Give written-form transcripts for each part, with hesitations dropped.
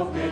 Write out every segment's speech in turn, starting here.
Aus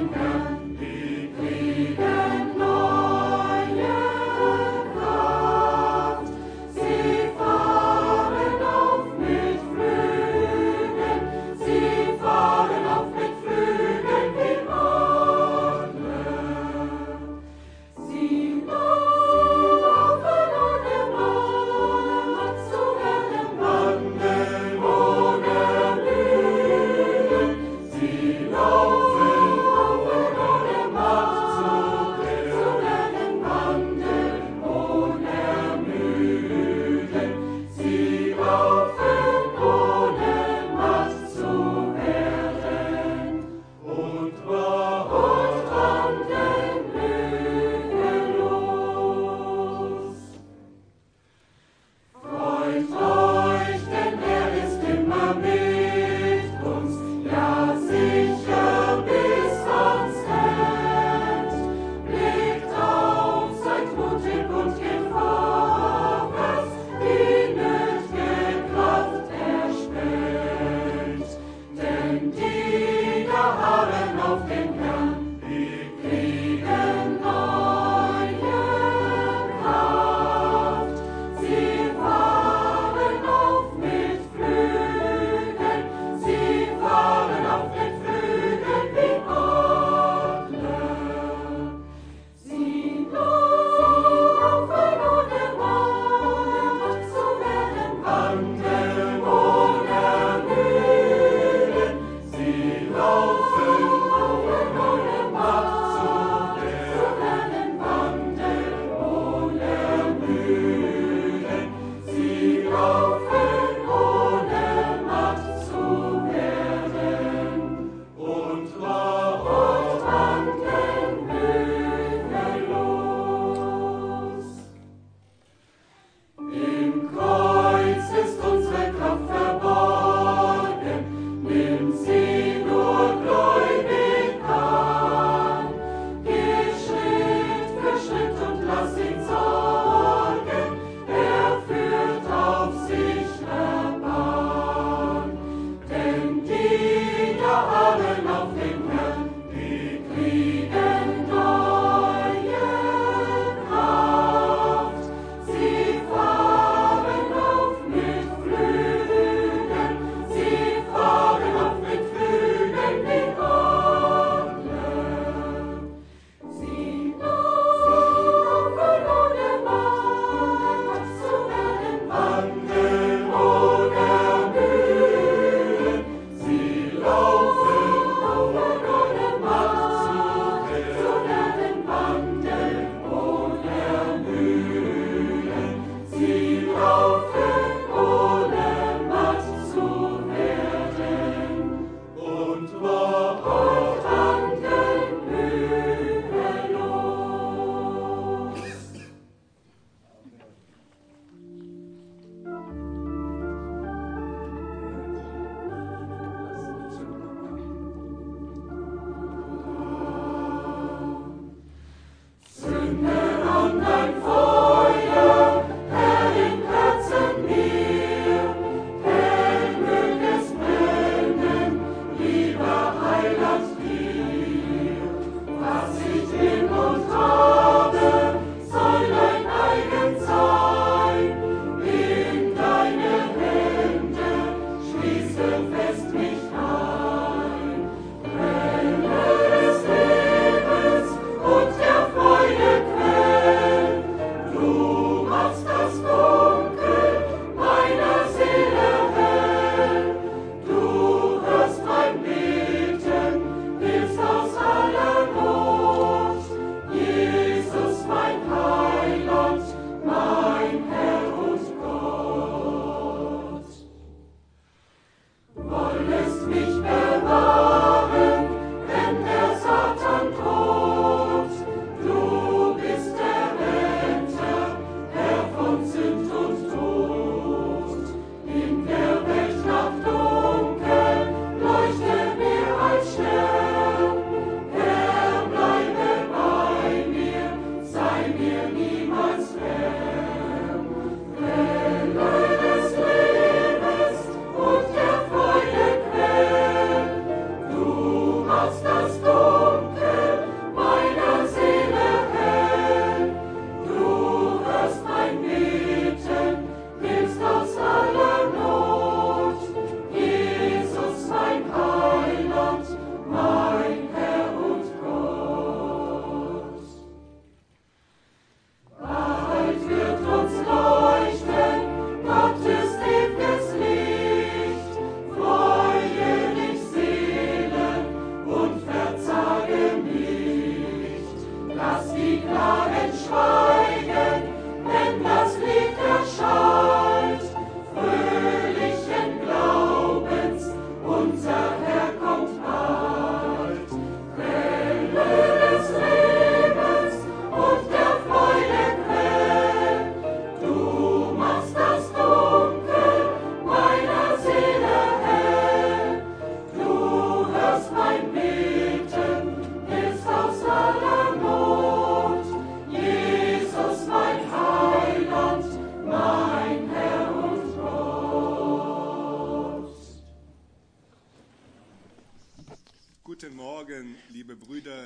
das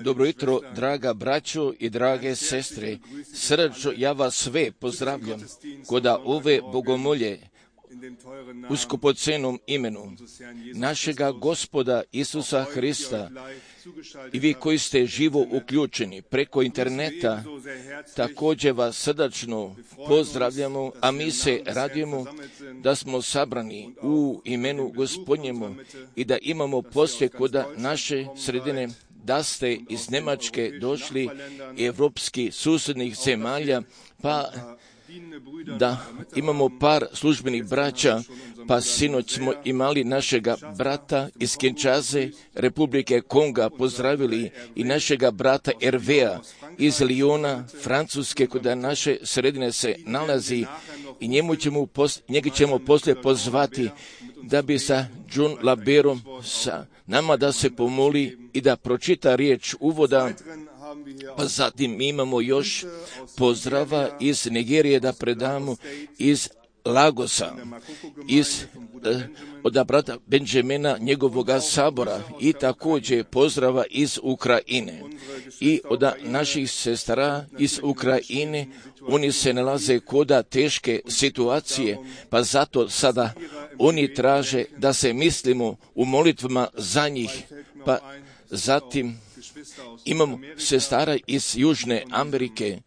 Dobro jutro, draga braćo i drage sestre. Srdačno ja vas sve pozdravljam kod ove bogomolje u skupocenom imenu našega Gospoda Isusa Hrista. I vi koji ste živo uključeni preko interneta, također vas srdačno pozdravljamo, a mi se radujemo da smo sabrani u imenu Gospodnjemu i da imamo poslije kod naše sredine, da ste iz Njemačke došli, evropskih susjednih zemalja, pa da imamo par službenih braća, pa sinoć smo imali našega brata iz Kinshase, Republike Konga, pozdravili i našega brata Hervea iz Lyona, Francuske, kod naše sredine se nalazi i njega ćemo poslije pozvati da bi sa John Laberom sa nama da se pomoli i da pročita riječ uvoda. Pa zatim imamo još pozdrava iz Nigerije da predamo, iz Lagosa, od brata Benjamina, njegovoga sabora, i također pozdrava iz Ukrajine i od naših sestara iz Ukrajine. Oni se nalaze koda teške situacije, pa zato sada oni traže da se mislimo u molitvama za njih. Pa zatim imamo sestara iz Južne Amerike,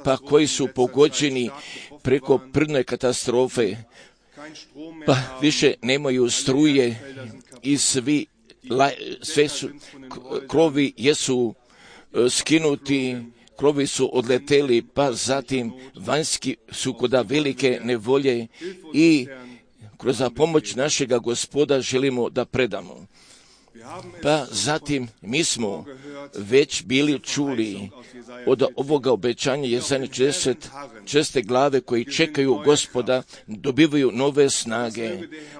pa koji su pogođeni preko prirodne katastrofe, pa više nemaju struje i sve su krovi jesu skinuti, krovi su odleteli, pa zatim vanjski su kod velike nevolje i kroz pomoć našega Gospoda želimo da predamo. Pa zatim mi smo već bili čuli od ovoga obećanja Jesaja 46. glave koji čekaju Gospoda, dobivaju nove snage.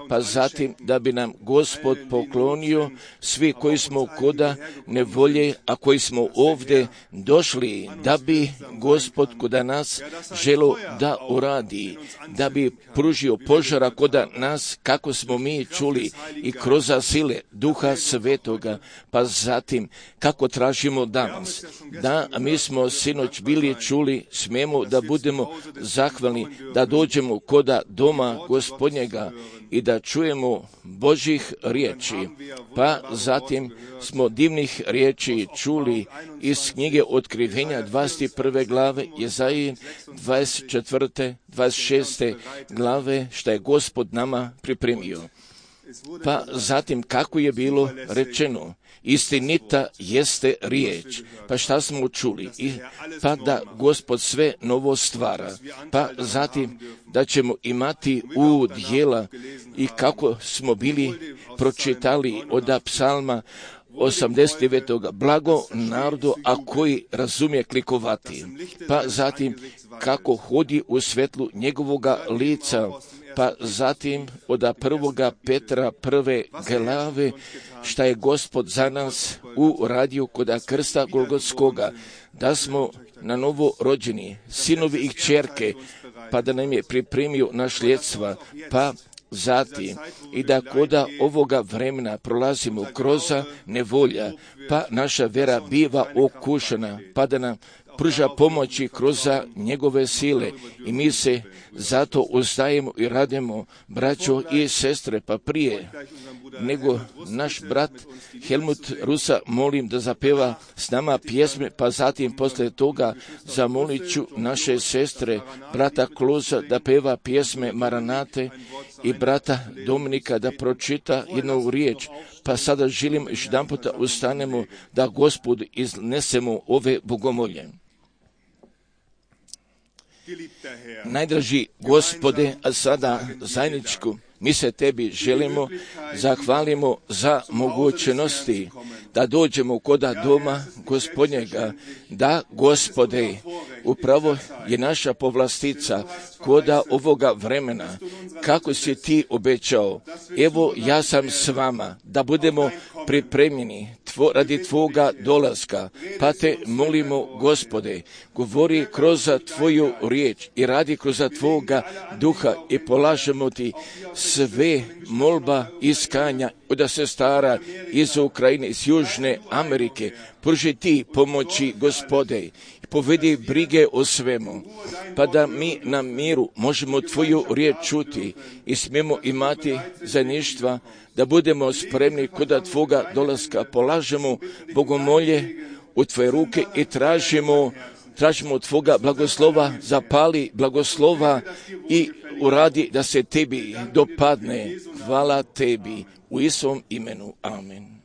Pa zatim da bi nam Gospod poklonio svi koji smo koda nevolje, a koji smo ovdje došli, da bi Gospod koda nas želo da uradi, da bi pružio požara koda nas, kako smo mi čuli, i kroz sile Duha Svetoga. Pa zatim kako tražimo danas, da mi smo sinoć bili čuli, smijemo da budemo zahvalni, da dođemo koda doma Gospodnjega i da čujemo Božih riječi. Pa zatim smo divnih riječi čuli iz knjige Otkrivenja 21. glave, Jesaji 24. 26. glave, što je Gospod nama pripremio. Pa zatim kako je bilo rečeno, istinita jeste riječ. Pa šta smo čuli? Pa da Gospod sve novo stvara. Pa zatim da ćemo imati udjela i kako smo bili pročitali od psalma 89. blago narodu, a koji razumije klikovati. Pa zatim kako hodi u svetlu njegovoga lica. Pa zatim od 1. Petra 1. glave, šta je Gospod za nas uradio kod krsta Golgotskoga, da smo na novo rođeni, sinovi i kćerke, pa da nam je pripremio nasljedstva, pa zatim i da koda ovoga vremena prolazimo kroz nevolja, pa naša vera biva okušana, pa da nam pruža pomoći kroz njegove sile i mi se zato uzdajemo i radimo, braćo i sestre. Pa prije nego naš brat Helmut Rusa molim da zapeva s nama pjesme, pa zatim poslije toga zamolit ću naše sestre, brata Kloza da peva pjesme Maranate i brata Dominika da pročita jednu riječ. Pa sada želim još jedan puta ustanemo da Gospod iznesemo ove bogomolje. Najdraži Gospode, a sada zajedničku mi se tebi želimo, zahvalimo za mogućnosti da dođemo koda doma Gospodnjega, da Gospode, upravo je naša povlastica koda ovoga vremena, kako si ti obećao. Evo ja sam s vama, da budemo pripremljeni radi Tvoga dolaska. Pa te molimo, Gospode, govori kroz Tvoju riječ i radi kroz Tvoga duha i polažemo Ti sve molba iskanja od sestara iz Ukrajine, iz Južne Amerike. Pruži Ti pomoći, Gospode, i povedi brige o svemu, pa da mi na miru možemo Tvoju riječ čuti i smijemo imati zajedništva, da budemo spremni kod Tvoga dolaska. Polažemo bogomolje u Tvoje ruke i tražimo Tvoga blagoslova, zapali blagoslova i uradi da se Tebi dopadne. Hvala Tebi u Isusovom imenu. Amen.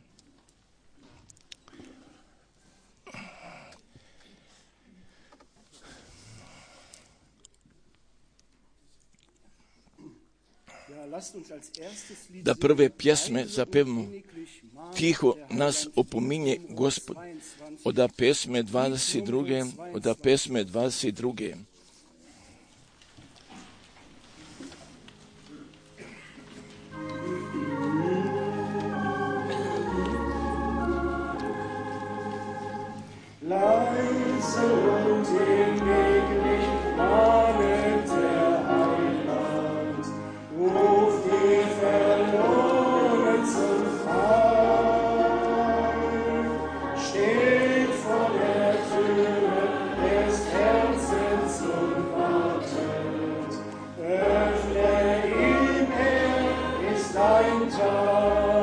Da prve pjesme zapevamo tiho nas opominje Gospod. Od pesme 22. Leise und hinleglich mahnet der Heiland, ruft die Verlorenen zum Heil, steht vor der Türe des Herzens und wartet, öffne ihm, er ist dein Teil.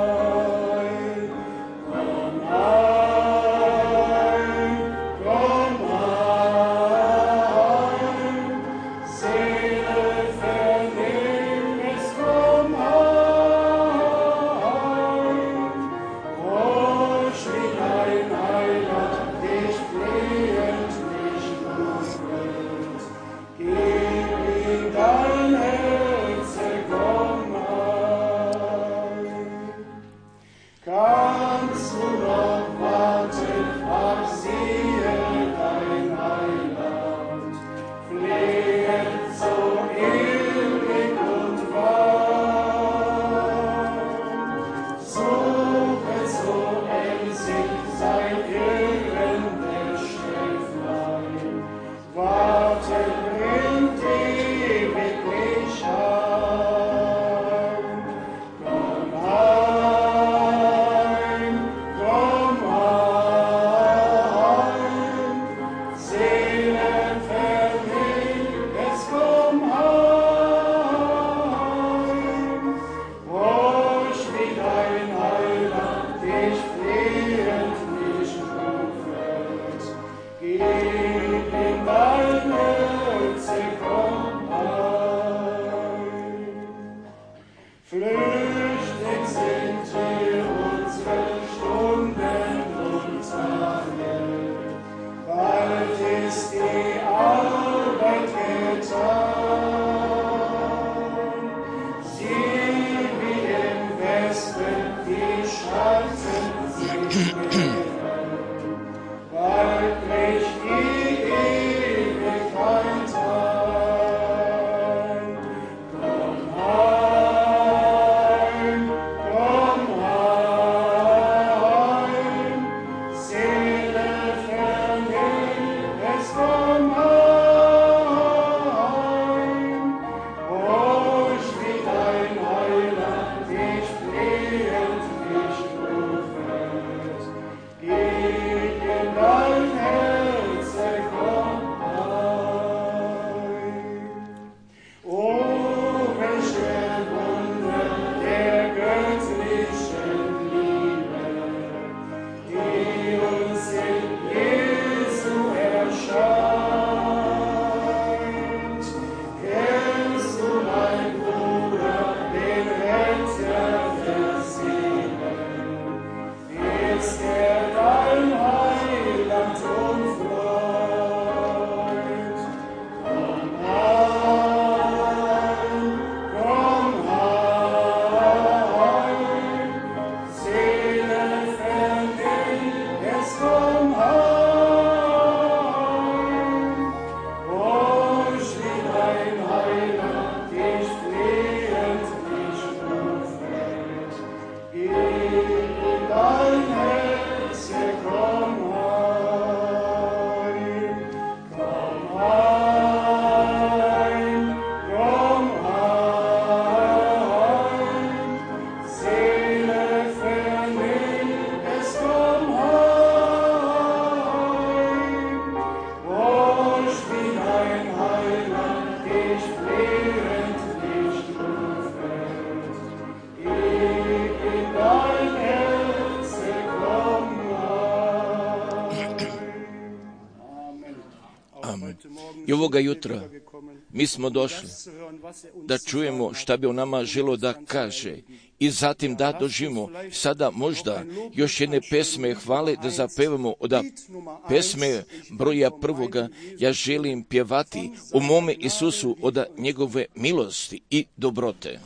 I ovoga jutra mi smo došli da čujemo šta bi on nama želio da kaže i zatim da doživimo sada možda još jedne pesme hvale da zapevamo od pesme broja prvoga. Ja želim pjevati o mome Isusu od njegove milosti i dobrote.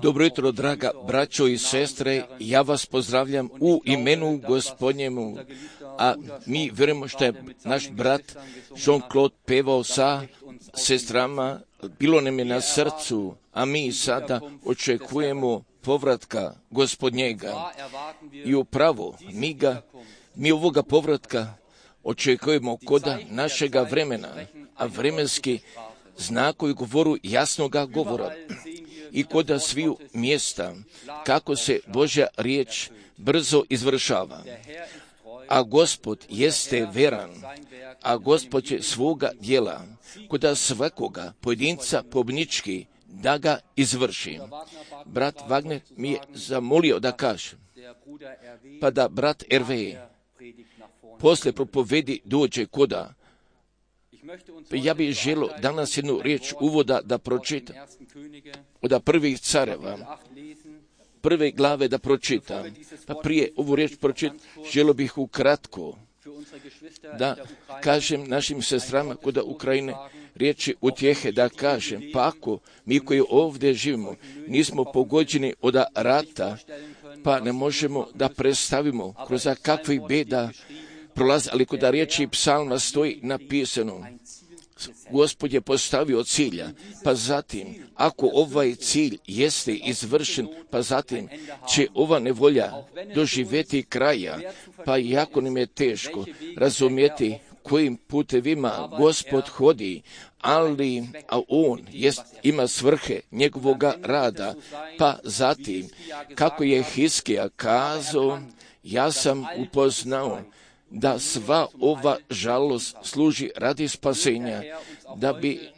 Dobro jutro, draga braćo i sestre, ja vas pozdravljam u imenu Gospodnjemu, a mi vjerujemo što je naš brat Jean-Claude pevao sa sestrama, bilo nam je na srcu, a mi sada očekujemo povratka Gospodnjega. I upravo mi ovoga povratka očekujemo kod našega vremena, a vremenski znakovi govoru jasnoga govora i kod sviju mjesta kako se Božja riječ brzo izvršava. A Gospod jeste veran, a Gospod će svoga djela kod svakoga pojedinca pobnički da ga izvrši. Brat Wagner mi je zamolio da kaže, pa da brat R.V. posle propovedi dođe koda. Ja bih želio danas jednu riječ uvoda da pročitam od prvih careva, prve glave da pročitam. Pa prije ovu riječ pročitam, želio bih ukratko da kažem našim sestrama kod Ukrajine riječi utjehe, da kažem, pa ako mi koji ovdje živimo nismo pogođeni od rata, pa ne možemo da predstavimo kroz kakvih beda prolazi, ali kod riječi psalma stoji napisano, Gospod je postavio cilja, pa zatim, ako ovaj cilj jeste izvršen, pa zatim će ova nevolja doživjeti kraja, pa jako nam je teško razumjeti kojim putevima Gospod hodi, ali On ima svrhe njegovoga rada, pa zatim, kako je Hiskija kazao, ja sam upoznao da sva ova žalost služi radi spasenja, da bi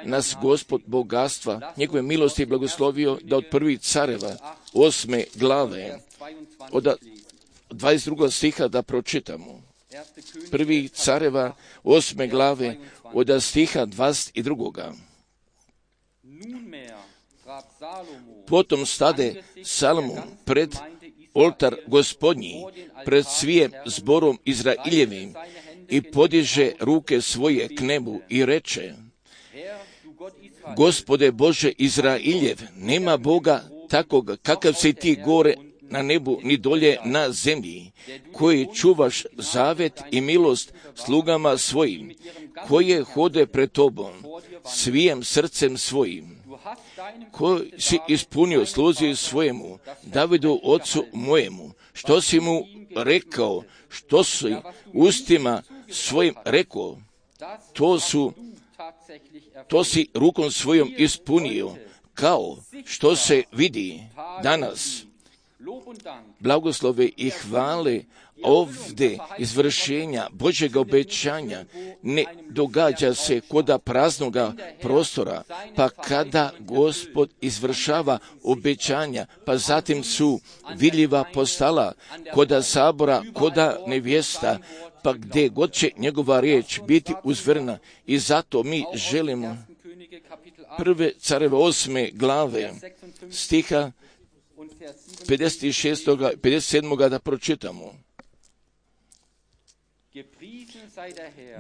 nas Gospod bogatstva, njegove milosti blagoslovio, da od prvih careva 8. glave, od 22. stiha da pročitamo. Prvih careva 8. glave, od stiha 22. Potom stade Salomon pred oltar Gospodnji, pred svijem zborom Izraeljevim i podiže ruke svoje k nebu i reče, Gospode Bože Izraeljev, nema Boga takvog kakav si ti gore na nebu ni dolje na zemlji, koji čuvaš zavet i milost slugama svojim, koje hode pred tobom svijem srcem svojim, koji si ispunio sluzi svojemu, Davidu ocu mojemu, što si mu rekao, što si ustima svojim rekao, to si rukom svojom ispunio, kao što se vidi danas. Blagoslove i hvale ovdje izvršenja Božjega obećanja ne događa se koda praznoga prostora, pa kada Gospod izvršava obećanja, pa zatim su vidljiva postala koda sabora, koda nevjesta, pa gdje god će njegova riječ biti uzvrna. I zato mi želimo prve careve 8. glave stiha 56. 57. da pročitamo.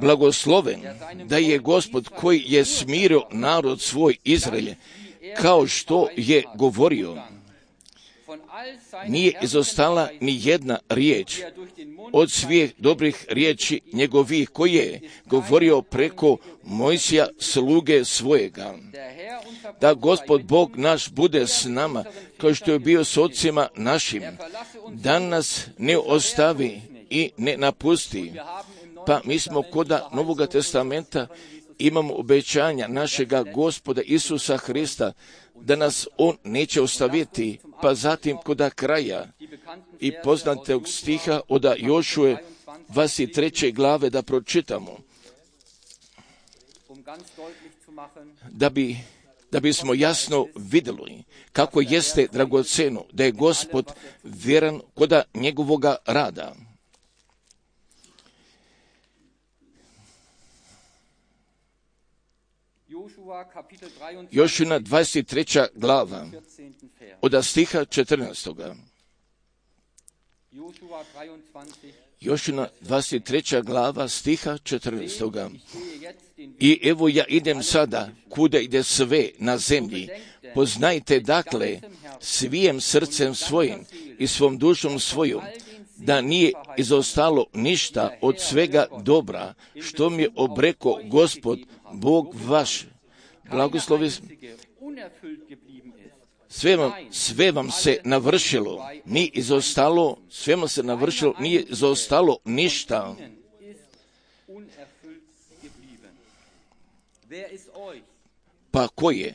Blagosloven da je Gospod koji je smirio narod svoj Izraelje, kao što je govorio. Nije izostala ni jedna riječ od svih dobrih riječi njegovih koji je govorio preko Mojsija sluge svojega. Da Gospod Bog naš bude s nama, kao što je bio s ocima našim, da nas ne ostavi i ne napusti. Pa mi smo koda Novoga testamenta imamo obećanja našega Gospoda Isusa Hrista, da nas On neće ostaviti, pa zatim koda kraja i poznatog stiha od Jošue 23. glave da pročitamo, da bismo jasno vidjeli kako jeste dragoceno da je Gospod vjeran koda njegovoga rada. Jošina 23. glava od stiha 14. Jošina 23. glava stiha 14. I evo ja idem sada, kuda ide sve na zemlji. Poznajte dakle svijem srcem svojim i svom dušom svojom, da nije izostalo ništa od svega dobra, što mi je obreko Gospod, Bog vaš. Blagoslovi, sve vam se navršilo, nije izostalo, sve vam se navršilo, nije izostalo ništa. Pa ko je?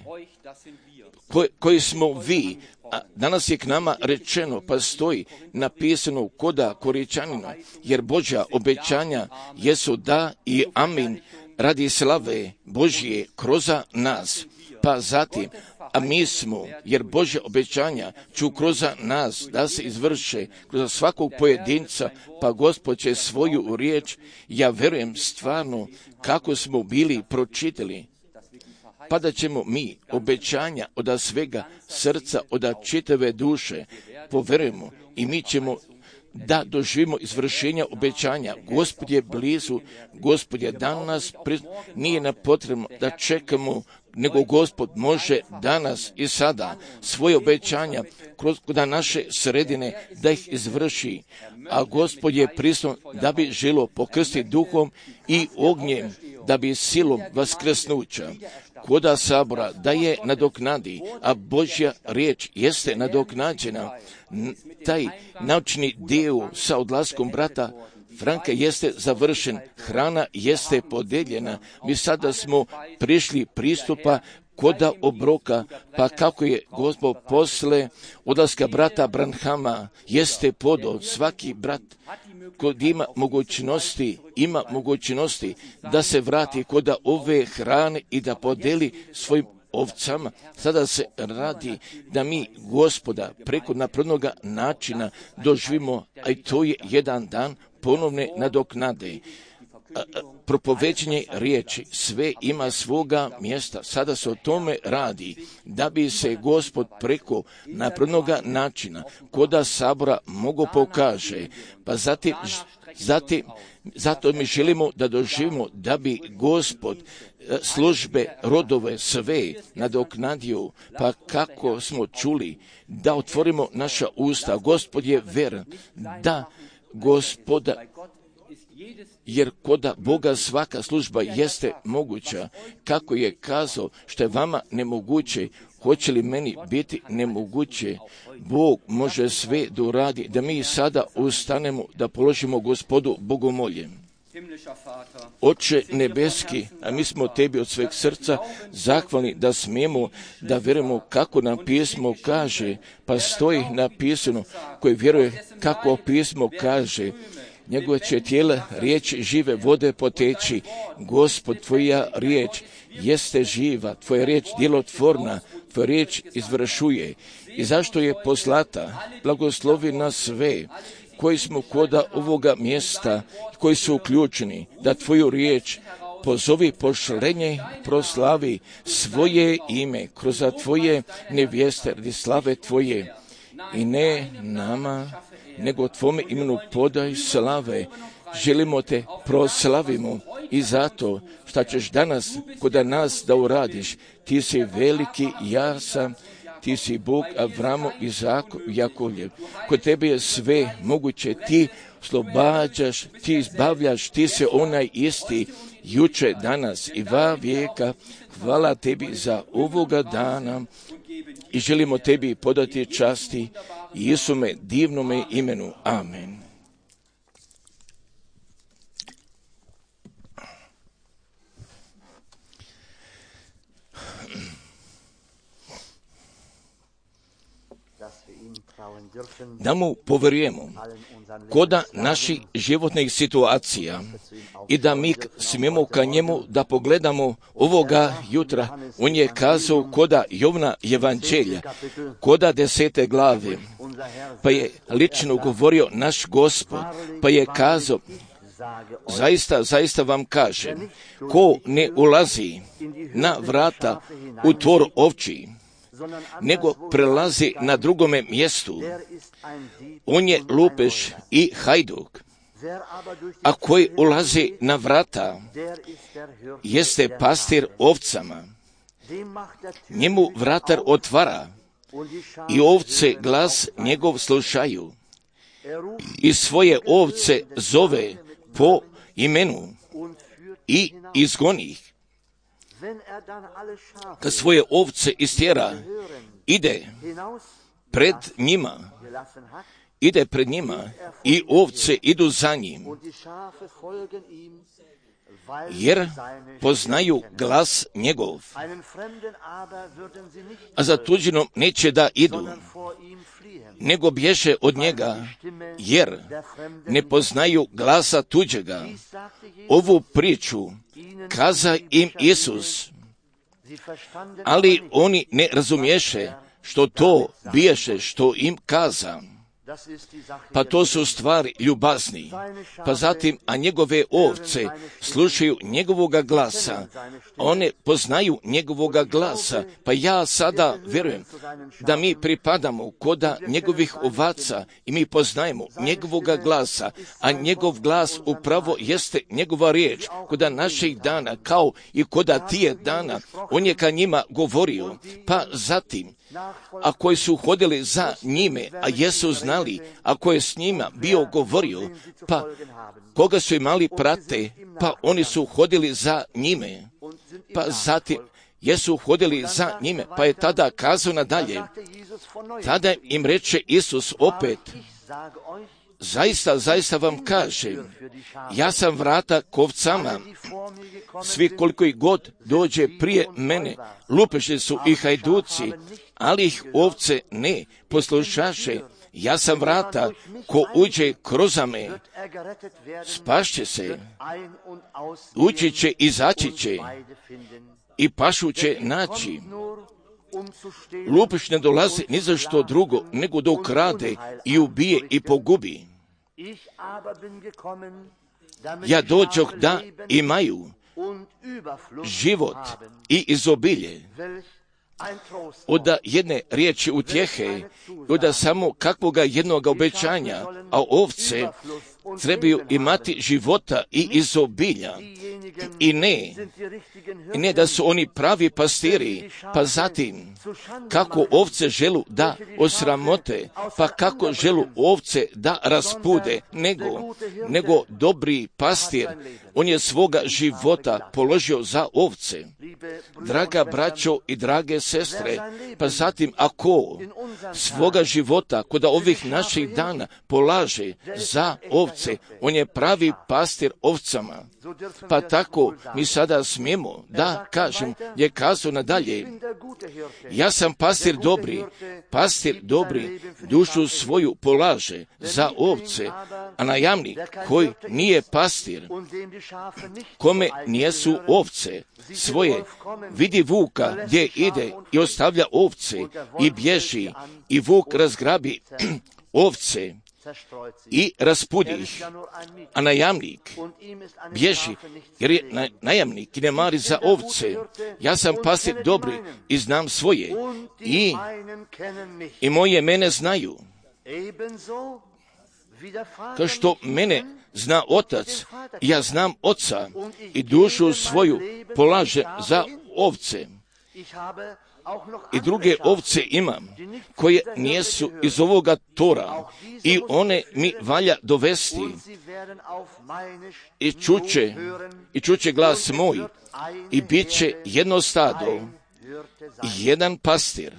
Koji smo vi? A danas je k nama rečeno, pa stoji napisano koda Koričanina, jer Božja obećanja jesu da i amin radi slave Božje kroz nas. Pa zatim, a mi smo, jer Božja obećanja ću kroz nas da se izvrše kroz svakog pojedinca, pa Gospod će svoju riječ, ja verujem stvarno kako smo bili pročitali, pa da ćemo mi obećanja od svega srca, od čitave duše poverujemo i mi ćemo da doživimo izvršenja obećanja. Gospod je blizu, Gospod je danas, nije nam potrebno da čekamo, nego Gospod može danas i sada svoje obećanja kroz naše sredine da ih izvrši, a Gospod je prisutan da bi želo pokrstiti duhom i ognjem, da bi silom vaskrsnuća koda sabora da je nadoknadi, a Božja riječ jeste nadoknađena. Taj naučni dio sa odlaskom brata Franka jeste završen, hrana jeste podeljena, mi sada smo prišli pristupa koda obroka, pa kako je Gospod posle odlaska brata Branhama jeste podao svaki brat kod ima mogućnosti da se vrati koda ove hrane i da podeli svojim ovcama. Sada se radi da mi Gospoda preko naprednoga načina doživimo, a i to je jedan dan ponovne nadoknade. Propoveđenje riječi, sve ima svoga mjesta. Sada se o tome radi, da bi se Gospod preko naprednoga načina koda sabora mogo pokaže. Pa zato mi želimo da doživimo da bi Gospod službe, rodove, sve nadoknadio, pa kako smo čuli, da otvorimo naša usta. Gospod je veren, da Gospoda, jer koda Boga svaka služba jeste moguća. Kako je kazao, što je vama nemoguće, hoće li meni biti nemoguće? Bog može sve da uradi, da mi sada ustanemo, da položimo Gospodu bogomolje. Oče nebeski, a mi smo tebi od sveg srca zahvalni da smijemo da vjerujemo kako nam pismo kaže, pa stoji napisano, koji vjeruje kako pismo kaže, njegove će tijela riječ žive vode poteći. Gospod, tvoja riječ jeste živa, tvoja riječ djelotvorna, tvoja riječ izvršuje. I zašto je poslata? Blagoslovi nas sve koji smo koda ovoga mjesta, koji su uključeni, da tvoju riječ pozovi, pošlenje, proslavi svoje ime kroz tvoje nevjeste radi slave tvoje. I ne nama, nego tvome imenu podaj slave. Želimo te proslavimo i zato što ćeš danas kod nas da uradiš. Ti si veliki, ja sam, ti si Bog Avramo, Izako, Jakovljev. Kod tebe je sve moguće, ti oslobađaš, ti izbavljaš, ti si onaj isti, juče, danas i va vijeka. Hvala tebi za ovoga dana i želimo tebi podati časti Isume divnome imenu. Amen. Da mu poverujemo koda naših životnih situacija i da mi smijemo ka njemu da pogledamo ovoga jutra. On je kazao koda Jovna evanđelja, koda 10. glave, pa je lično govorio naš Gospod, pa je kazao, zaista vam kažem, ko ne ulazi na vrata u tvor ovči, nego prelazi na drugome mjestu, on je lupež i hajduk. a koji ulazi na vrata, jeste pastir ovcama. Njemu vratar otvara i ovce glas njegov slušaju i svoje ovce zove po imenu i izgoni ih. Kad svoje ovce istjera, ide pred njima i ovce idu za njim, jer poznaju glas njegov. A za tuđinom neće da idu, nego bježe od njega, jer ne poznaju glasa tuđega. Ovu priču kaza im Isus, ali oni ne razumiješe što to biješe što im kaza. Pa to su stvari ljubazni. Pa zatim, a njegove ovce slušaju njegovoga glasa, one poznaju njegovoga glasa. Pa ja sada vjerujem da mi pripadamo koda njegovih ovaca i mi poznajemo njegovoga glasa, a njegov glas upravo jeste njegova riječ. Koda naših dana, kao i koda tije dana, on je ka njima govorio. Pa zatim, a koji su hodili za njime, a jesu znali, a koji je s njima bio govorio, pa koga su imali prate, pa oni su hodili za njime, pa zatim jesu hodili za njime, pa je tada kazao nadalje. Tada im reče Isus opet, zaista vam kažem, ja sam vrata k ovcama. Svi koliko ih god dođe prije mene, lupeži su i hajduci, ali ih ovce ne poslušaše. Ja sam vrata, ko uđe kroz me, spašće se, ući će, izaći će i pašu će naći. Lupež ne dolazi ni za što drugo, nego da ukrade i ubije i pogubi. Ja dođoh da imaju život i izobilje. Od jedne riječi utjehe, od samo kakvoga jednog obećanja, a ovce trebaju imati života i izobilja. I ne da su oni pravi pastiri, pa zatim kako ovce želu da osramote, pa kako želu ovce da raspude, nego dobri pastir, on je svoga života položio za ovce. Draga braćo i drage sestre, pa zatim ako svoga života kod ovih naših dana polaže za ovce, on je pravi pastir ovcama. Pa tako mi sada smijemo da kažem, je kazao nadalje, ja sam pastir dobri dušu svoju polaže za ovce, a najamnik koji nije pastir, kome nijesu ovce svoje, vidi vuka gdje ide i ostavlja ovce i bježi, i vuk razgrabi ovce i raspudi ih, a najamnik bježi, jer je najamnik i ne mari za ovce. Ja sam pastir dobri i znam svoje, i moje mene znaju. Kao što mene zna otac, ja znam oca i dušu svoju polaže za ovce. I druge ovce imam, koje nijesu iz ovoga tora, i one mi valja dovesti, i čuće glas moj, i bit će jedno stado, jedan pastir.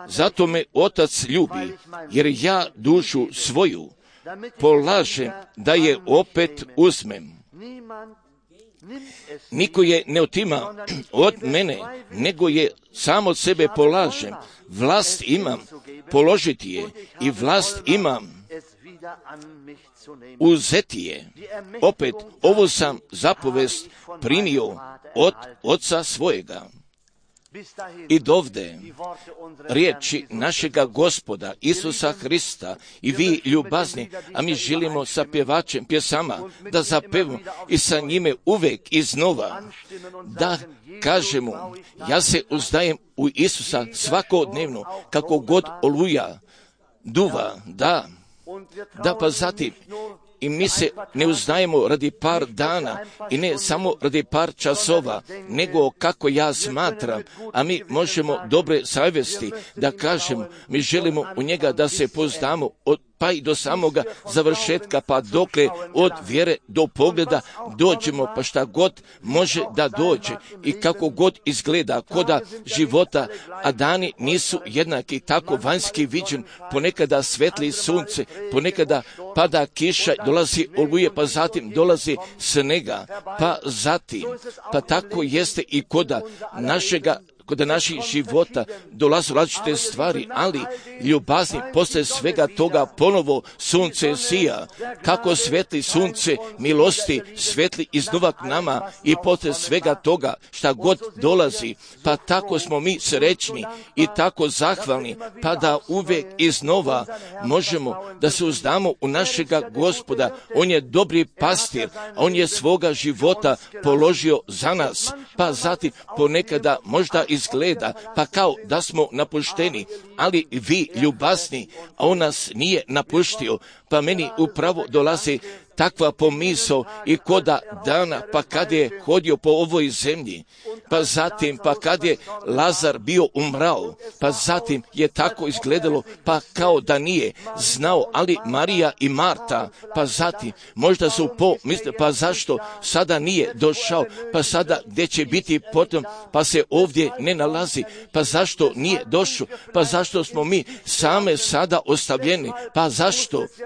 Zato me otac ljubi, jer ja dušu svoju polažem da je opet uzmem. Niko je ne otima od mene, nego je sam od sebe polažem. Vlast imam položiti je, i vlast imam uzeti je. Opet, ovo sam zapovest primio od oca svojega. I dovde riječi našega Gospoda Isusa Hrista, i vi ljubazni, a mi želimo sa pjevačem pjesama da zapevamo i sa njime uvek iznova da kažemo, ja se uzdajem u Isusa svakodnevno, kako god oluja duva, da Da, pa zatim, i mi se ne uznajemo radi par dana i ne samo radi par časova, nego kako ja smatram, a mi možemo dobre savjesti da kažemo, mi želimo u njega da se poznamo pa i do samoga završetka, pa dokle od vjere do pogleda dođemo, pa šta god može da dođe i kako god izgleda koda života, a dani nisu jednaki, tako vanjski viđen, ponekada svetli sunce, ponekada pada kiša, dolazi oluje, pa zatim dolazi snega, pa zatim, pa tako jeste i koda naših života dolaze različite stvari, ali ljubazni posle svega toga ponovo sunce sija, kako svetli sunce milosti svetli iznova k nama i posle svega toga šta god dolazi, pa tako smo mi srećni i tako zahvalni, pa da uvijek iznova možemo da se uzdamo u našega Gospoda. On je dobri pastir, on je svoga života položio za nas, pa zatim ponekada možda izgleda pa kao da smo napušteni, ali vi ljubazni, a on nas nije napuštio, pa meni upravo dolazi takva pomisao i koda dana, pa kad je hodio po ovoj zemlji, pa zatim, pa kad je Lazar bio umrao, pa zatim je tako izgledalo, pa kao da nije znao, ali Marija i Marta, pa zatim, možda su pomisle, pa zašto sada nije došao, pa sada gdje će biti potom, pa se ovdje ne nalazi, pa zašto nije došao, pa zašto smo mi same sada ostavljeni,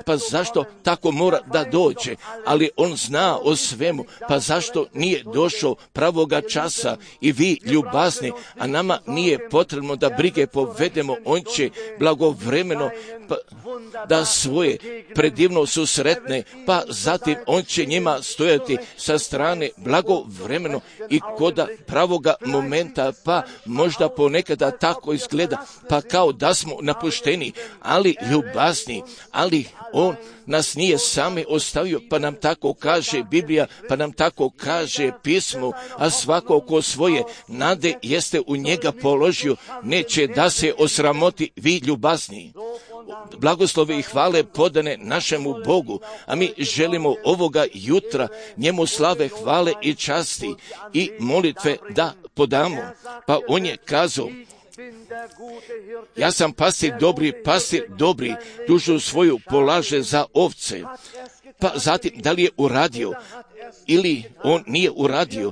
pa zašto tako mora da dođe, ali on zna o svemu, pa zašto nije došao pravoga časa i vi ljubazni, a nama nije potrebno da brige povedemo, on će blagovremeno da svoje predivno susretne, pa zatim on će njima stojati sa strane blagovremeno i koda pravoga momenta, pa možda ponekada tako izgleda, pa kao da smo napušteni, ali ljubazni, ali on nas nije sami ostavio, pa nam tako kaže Biblija, pa nam tako kaže pismo, a svako ko svoje nade jeste u njega položio, neće da se osramoti, vi ljubazni. Blagoslove i hvale podane našemu Bogu, a mi želimo ovoga jutra njemu slave, hvale i časti i molitve da podamo. Pa on je kazao, ja sam pastir dobri, dušu svoju polaže za ovce. Pa zatim, da li je uradio ili on nije uradio,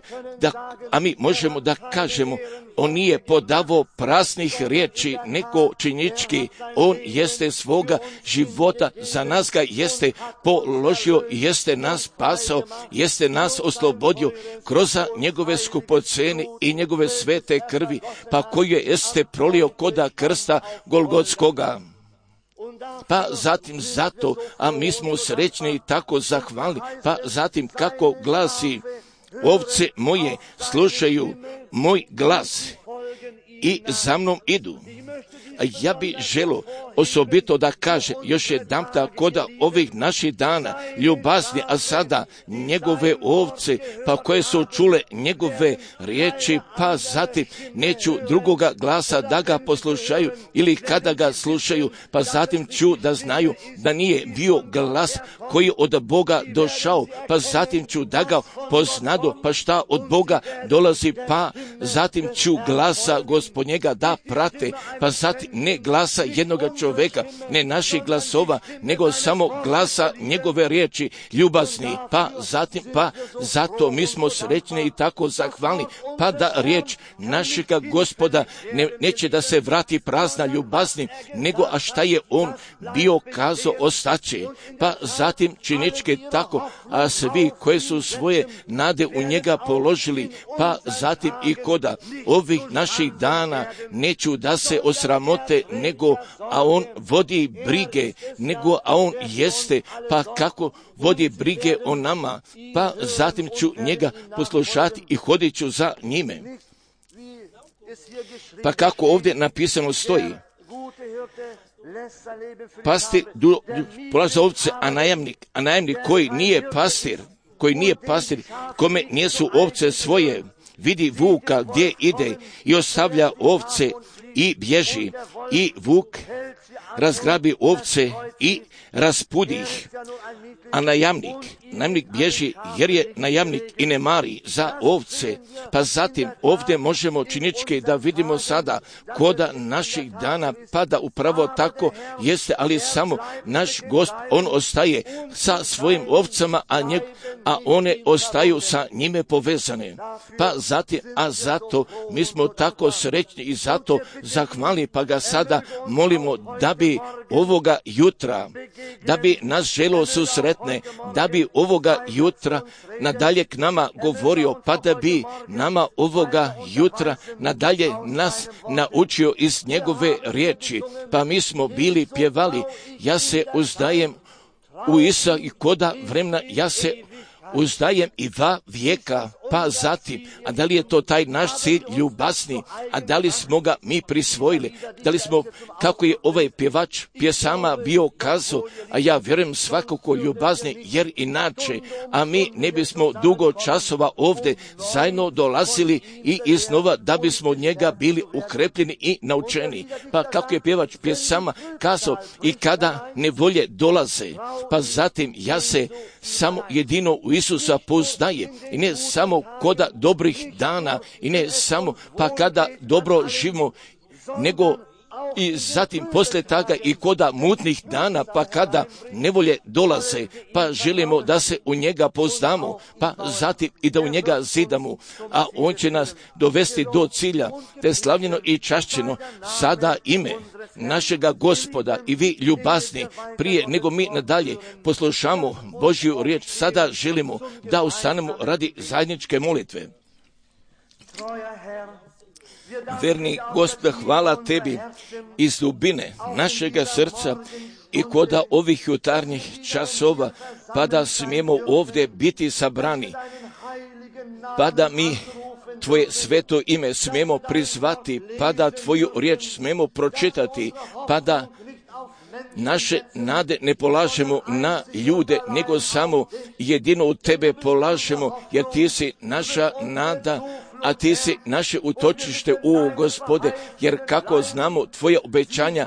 a mi možemo da kažemo, on nije podavao praznih riječi, nego činjenički, on jeste svoga života, za nas ga jeste položio, jeste nas spasao, jeste nas oslobodio kroz njegove skupocene i njegove svete krvi, pa koju jeste prolio koda krsta Golgotskoga. Pa zatim zato, a mi smo srećni i tako zahvalni, pa zatim kako glasi, ovce moje slušaju moj glas i za mnom idu. A ja bi želio osobito da kaže još jedanputa koda ovih naših dana ljubazni, a sada njegove ovce, pa koje su čule njegove riječi, pa zatim neću drugoga glasa da ga poslušaju ili kada ga slušaju, pa zatim ću da znaju da nije bio glas koji od Boga došao, pa zatim ću da ga poznadu, pa šta od Boga dolazi, pa zatim ću glasa Gospodnjega da prate, pa zatim ne glasa jednoga čovjeka, ne naših glasova, nego samo glasa njegove riječi ljubazni, pa zatim, pa zato mi smo srećni i tako zahvalni, pa da riječ našega Gospoda neće da se vrati prazna ljubazni, nego a šta je on bio kazao ostaće, pa zatim činičke tako, a svi koji su svoje nade u njega položili, pa zatim i koda ovih naših dana neću da se osramote, nego a on vodi brige, nego a on jeste, pa kako vodi brige o nama, pa zatim ću njega poslušati i hodit ću za njime. Pa kako ovdje napisano stoji, pastir polaže za ovce, a najamnik koji nije pastir, kome nisu ovce svoje, vidi vuka gdje ide i ostavlja ovce i bježi, i vuk razgrabi ovce i raspudi ih. A najamnik bježi jer je najamnik i ne mari za ovce. Pa zatim ovdje možemo činički da vidimo sada koda naših dana pada upravo tako jeste, ali samo naš Gospod, on ostaje sa svojim ovcama, a one ostaju sa njime povezane. Pa zatim, a zato mi smo tako srećni i zato zahvalni, pa ga sada molimo da bi ovoga jutra, da bi nas želo susretne, da bi ovoga jutra nadalje k nama govorio, pa da bi nama ovoga jutra nadalje nas naučio iz njegove riječi. Pa mi smo bili pjevali, ja se uzdajem u Isa i koda vremena, ja se uzdajem i va vijeka. Pa zatim, a da li je to taj naš cilj ljubazni, a da li smo ga mi prisvojili, da li smo, kako je ovaj pjevač pjesama bio kazao, a ja vjerujem svakako ljubazni, jer inače, a mi ne bismo dugo časova ovdje zajedno dolazili i iznova da bismo od njega bili ukrepljeni i naučeni. Pa kako je pjevač pjesama kazao, i kada nevolje dolaze, pa zatim ja se samo jedino u Isusa poznaje i ne samo koda dobrih dana i ne samo pa kada dobro živimo, nego i zatim poslije toga i koda mutnih dana, pa kada nevolje dolaze, pa želimo da se u njega poznamo, pa zatim i da u njega zidamo, a on će nas dovesti do cilja, te slavljeno i čašćeno sada ime našega Gospoda. I vi ljubazni, prije nego mi nadalje poslušamo Božju riječ, sada želimo da ustanemo radi zajedničke molitve. Verni Gospod, hvala tebi iz dubine našega srca i koda ovih jutarnjih časova, pa da smijemo ovdje biti sabrani, pa da mi tvoje sveto ime smijemo prizvati, pa da tvoju riječ smijemo pročitati, pa da naše nade ne polažemo na ljude, nego samo jedino u tebe polažemo, jer ti si naša nada, a ti si naše utočište, u Gospode, jer kako znamo tvoje obećanja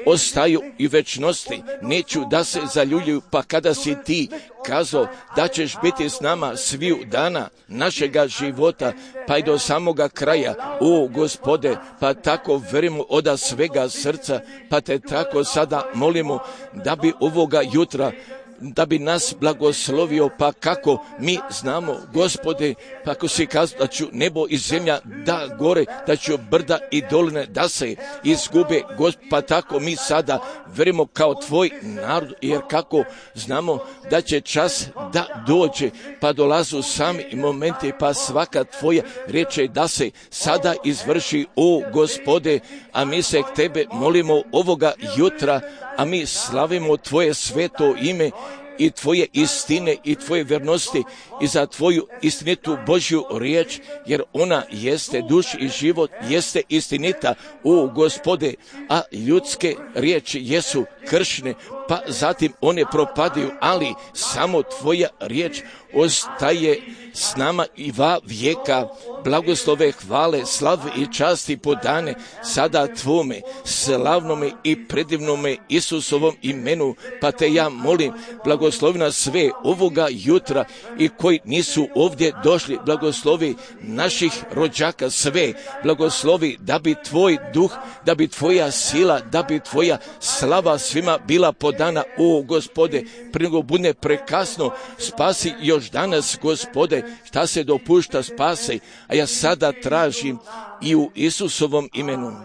ostaju i večnosti, neću da se zaljuljuju, pa kada si ti kazao da ćeš biti s nama sviju dana našega života, pa i do samoga kraja, o Gospode, pa tako verimo od svega srca, pa te tako sada molimo da bi ovoga jutra da bi nas blagoslovio, pa kako mi znamo, Gospode, pa ako si kazao da ću nebo i zemlja da gore, da ću brda i doline da se izgube, pa tako mi sada verimo kao tvoj narod, jer kako znamo da će čas da dođe, pa dolazu sami momenti, pa svaka tvoja riječ je da se sada izvrši, o Gospode, a mi se k tebe molimo ovoga jutra, a mi slavimo tvoje sveto ime i tvoje istine i tvoje vernosti i za tvoju istinitu Božju riječ, jer ona jeste duš i život, jeste istinita, o Gospode, a ljudske riječi jesu kršne, pa zatim one propadaju, ali samo tvoja riječ ostaje s nama i va vijeka. Blagoslove, hvale, slave i časti podane sada tvome slavnome i predivnome Isusovom imenu, pa te ja molim, blagoslovi nas sve ovoga jutra i koji nisu ovdje došli, blagoslovi naših rođaka sve, blagoslovi da bi tvoj duh, da bi tvoja sila, da bi tvoja slava svima bila podana, o Gospode, prije nego bude prekasno, spasi još danas, Gospode, šta se dopušta, spasi, a ja sada tražim i u Isusovom imenu.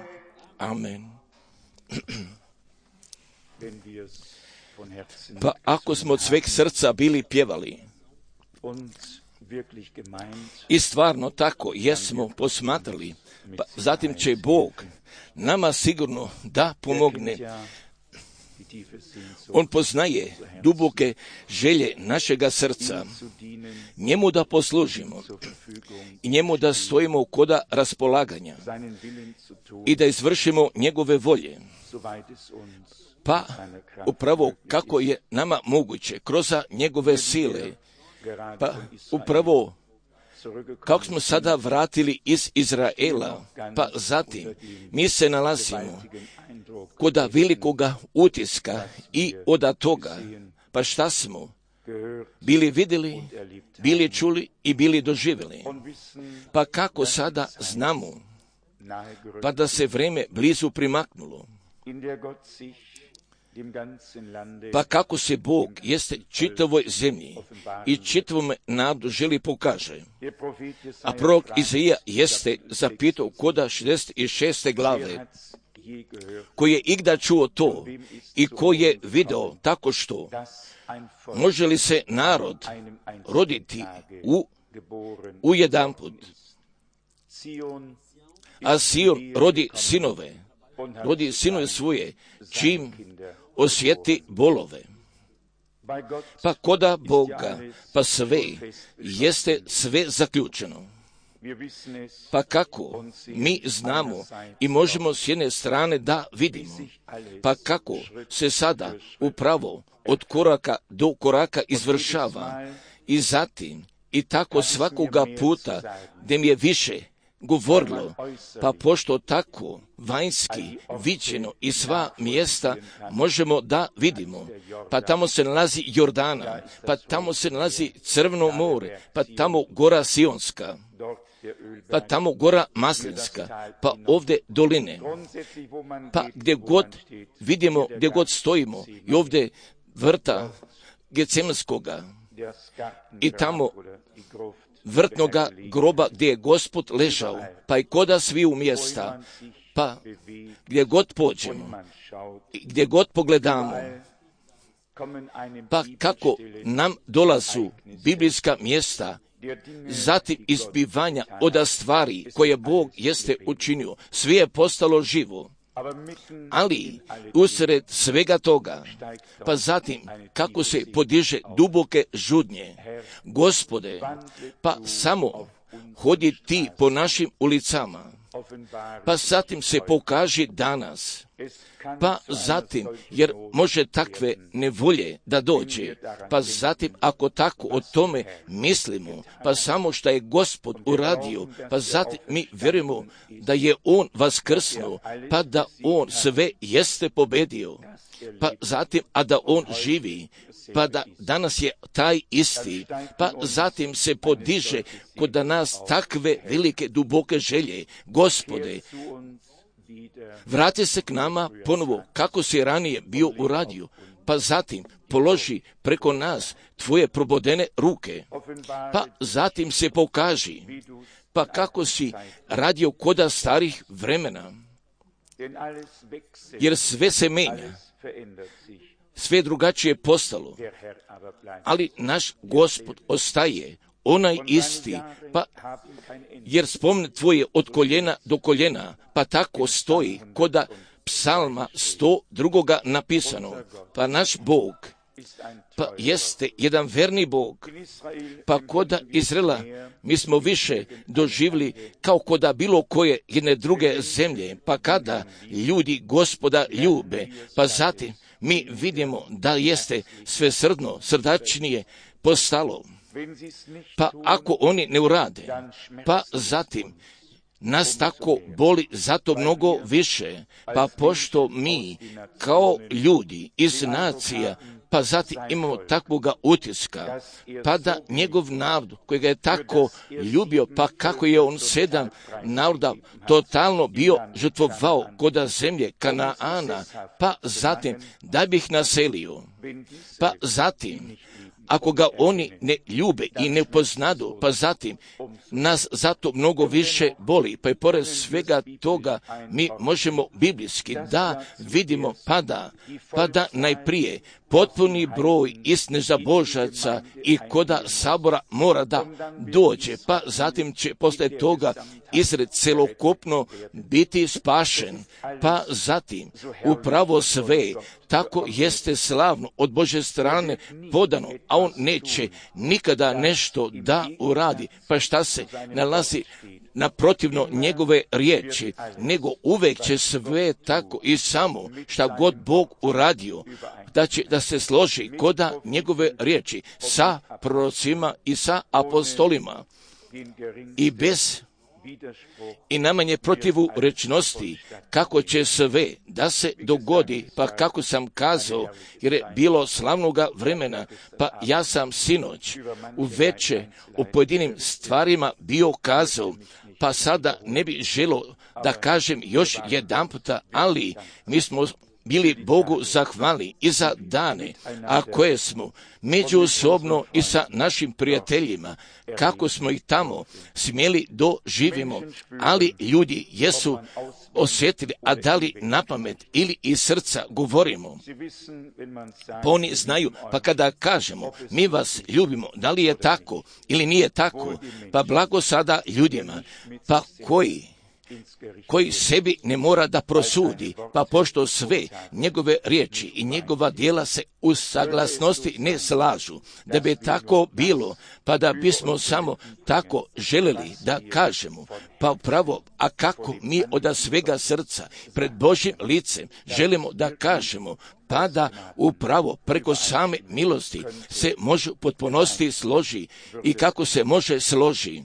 Amen. Pa ako smo od sveg srca bili pjevali i stvarno tako jesmo posmatrali, pa zatim će Bog nama sigurno da pomogne. On poznaje duboke želje našega srca, njemu da poslužimo i njemu da stojimo koda raspolaganja i da izvršimo njegove volje. Pa upravo kako je nama moguće kroz njegove sile, pa upravo kako smo sada vratili iz Izraela, pa zatim mi se nalazimo kod velikoga utiska i od toga, pa šta smo bili vidjeli, bili čuli i bili doživjeli. Pa kako sada znamo, pa da se vrijeme blizu primaknulo, pa kako se Bog jeste čitavoj zemlji i čitavom narodu želi pokaže. A prorok Izaija jeste zapitao koda 66. glave, ko je igda čuo to i ko je video tako što, može li se narod roditi u jedanput? A Sion rodi sinove svoje, čim osjeti bolove. Pa koda Boga, pa sve, jeste sve zaključeno. Pa kako mi znamo i možemo s jedne strane da vidimo, pa kako se sada upravo od koraka do koraka izvršava i zatim i tako svakoga puta gdje mi je više govorilo, pa pošto tako vanjski viđeno i sva mjesta možemo da vidimo, pa tamo se nalazi Jordana, pa tamo se nalazi Crveno more, pa tamo gora Sionska, pa tamo gora Maslinska, pa ovdje doline, pa gdje god vidimo, gdje god stojimo i ovdje vrta Getsemanskoga i tamo vrtnoga groba gdje je Gospod ležao, pa i koda sviju mjesta, pa gdje god pođemo, gdje god pogledamo, pa kako nam dolazu biblijska mjesta, zatim izbivanja od stvari koje Bog jeste učinio, sve je postalo živo. Ali usred svega toga, pa zatim kako se podiže duboke žudnje, Gospode, pa samo hodi ti po našim ulicama, pa zatim se pokaži danas, pa zatim, jer može takve nevolje da dođe, pa zatim ako tako o tome mislimo, pa samo što je Gospod uradio, pa zatim mi vjerujemo da je On vaskrsnuo, pa da On sve jeste pobedio, pa zatim, a da On živi, pa da danas je taj isti, pa zatim se podiže kod nas takve velike duboke želje, Gospode, vrati se k nama ponovo kako si ranije bio uradio, pa zatim položi preko nas tvoje probodene ruke, pa zatim se pokaži, pa kako si radio koda starih vremena, jer sve se menja, sve drugačije postalo, ali naš Gospod ostaje onaj isti, pa jer spomne tvoje od koljena do koljena, pa tako stoji koda psalma 102. napisano, pa naš Bog, pa jeste jedan verni Bog, pa koda Izraela mi smo više doživjeli kao koda bilo koje jedne druge zemlje, pa kada ljudi Gospoda ljube, pa zatim mi vidimo da jeste sve srdačnije postalo. Pa ako oni ne urade, pa zatim nas tako boli zato mnogo više, pa pošto mi kao ljudi iz nacija, pa zatim imamo takvoga utiska, pa da njegov narod koji ga je tako ljubio, pa kako je on 7 naroda totalno bio žrtvovao koda zemlje Kanaana, pa zatim da bi ih naselio, pa zatim ako ga oni ne ljube i ne poznadu, pa zatim nas zato mnogo više boli, pa i pored svega toga mi možemo biblijski da vidimo pa da najprije potpuni broj istine za Božaca i koda sabora mora da dođe, pa zatim će posle toga Izrael celokupno biti spašen, pa zatim upravo sve tako jeste slavno od Božje strane podano, a on neće nikada nešto da uradi, pa šta se nalazi naprotivno njegove riječi, nego uvek će sve tako i samo šta god Bog uradio, da će da se složi koda njegove riječi sa prorocima i sa apostolima. i bez i najmanje protivu rečnosti, kako će sve da se dogodi, pa kako sam kazao, jer je bilo slavnoga vremena, pa ja sam sinoć uveče o pojedinim stvarima bio kazao, pa sada ne bi želio da kažem još jedanputa, ali mi smo bili Bogu zahvalni i za dane, a koje smo međusobno i sa našim prijateljima, kako smo ih tamo smjeli doživimo, ali ljudi jesu osjetili, a da li na pamet ili iz srca govorimo. Pa oni znaju, pa kada kažemo, mi vas ljubimo, da li je tako ili nije tako, pa blago sada ljudima, pa koji sebi ne mora da prosudi, pa pošto sve njegove riječi i njegova djela se u saglasnosti ne slažu, da bi tako bilo, pa da bismo samo tako željeli da kažemo, pa upravo, a kako mi od svega srca pred Božjim licem želimo da kažemo, pa da upravo preko same milosti se može potpunosti složi i kako se može složi.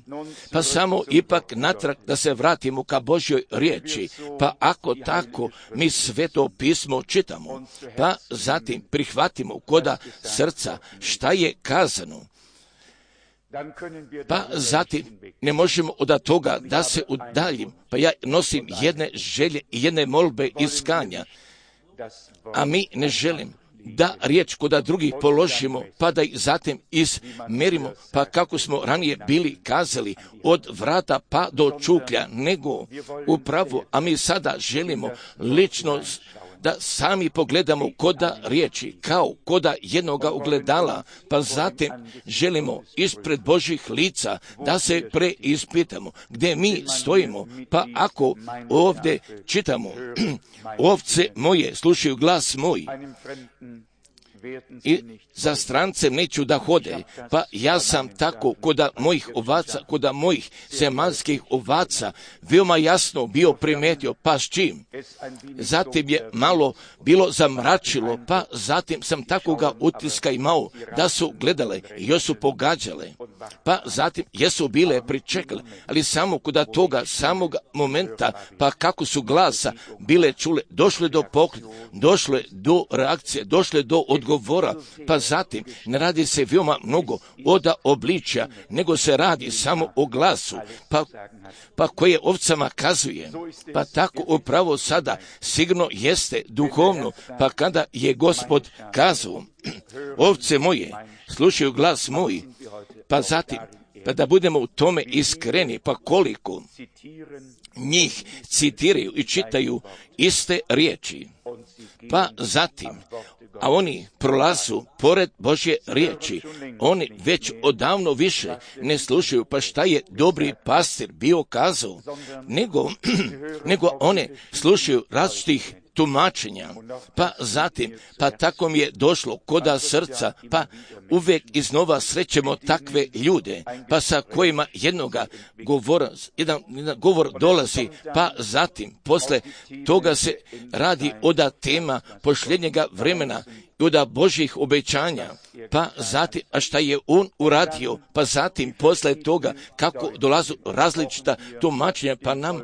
Pa samo ipak natrag da se vratimo ka Božjoj riječi, pa ako tako mi Sveto pismo čitamo, pa zatim prihvatimo koda srca šta je kazano, pa zatim ne možemo od toga da se udaljim, pa ja nosim jedne želje i jedne molbe iskanja, a mi ne želim da riječ koda drugih položimo, pa da ih zatim izmerimo, pa kako smo ranije bili kazali, od vrata pa do čuklja, nego upravo, a mi sada želimo lično da sami pogledamo koda riječi, kao koda jednoga ogledala, pa zatim želimo ispred Božjih lica da se preispitamo gdje mi stojimo, pa ako ovdje čitamo, ovce moje slušaju glas moj, i za strancem neću da hode, pa ja sam tako koda mojih zemaljskih ovaca veoma jasno bio primetio, pa s čim? Zatim je malo bilo zamračilo, pa zatim sam takoga utiska imao da su gledale i još su pogađale, pa zatim jesu bile pričekale, ali samo koda toga samog momenta, pa kako su glasa bile čule, došle do poklona, došle do reakcije, došle do odgovora, pa zatim ne radi se veoma mnogo od obličja, nego se radi samo o glasu, pa koje ovcama kazuje, pa tako upravo sada sigurno jeste duhovno, pa kada je Gospod kazao, ovce moje slušaju glas moj, pa zatim, pa da budemo u tome iskreni, pa koliko njih citiraju i čitaju iste riječi, pa zatim, a oni prolazu pored Božje riječi, oni već odavno više ne slušaju, pa šta je dobri pastir bio kazao, nego one slušaju različitih tumačenja, pa zatim, pa tako mi je došlo koda srca, pa uvijek iznova srećemo takve ljude, pa sa kojima jedan govor dolazi, pa zatim, posle toga se radi od tema posljednjega vremena i od Božjih obećanja, pa zatim, a šta je on uradio, pa zatim, posle toga, kako dolazu različita tumačenja, pa nam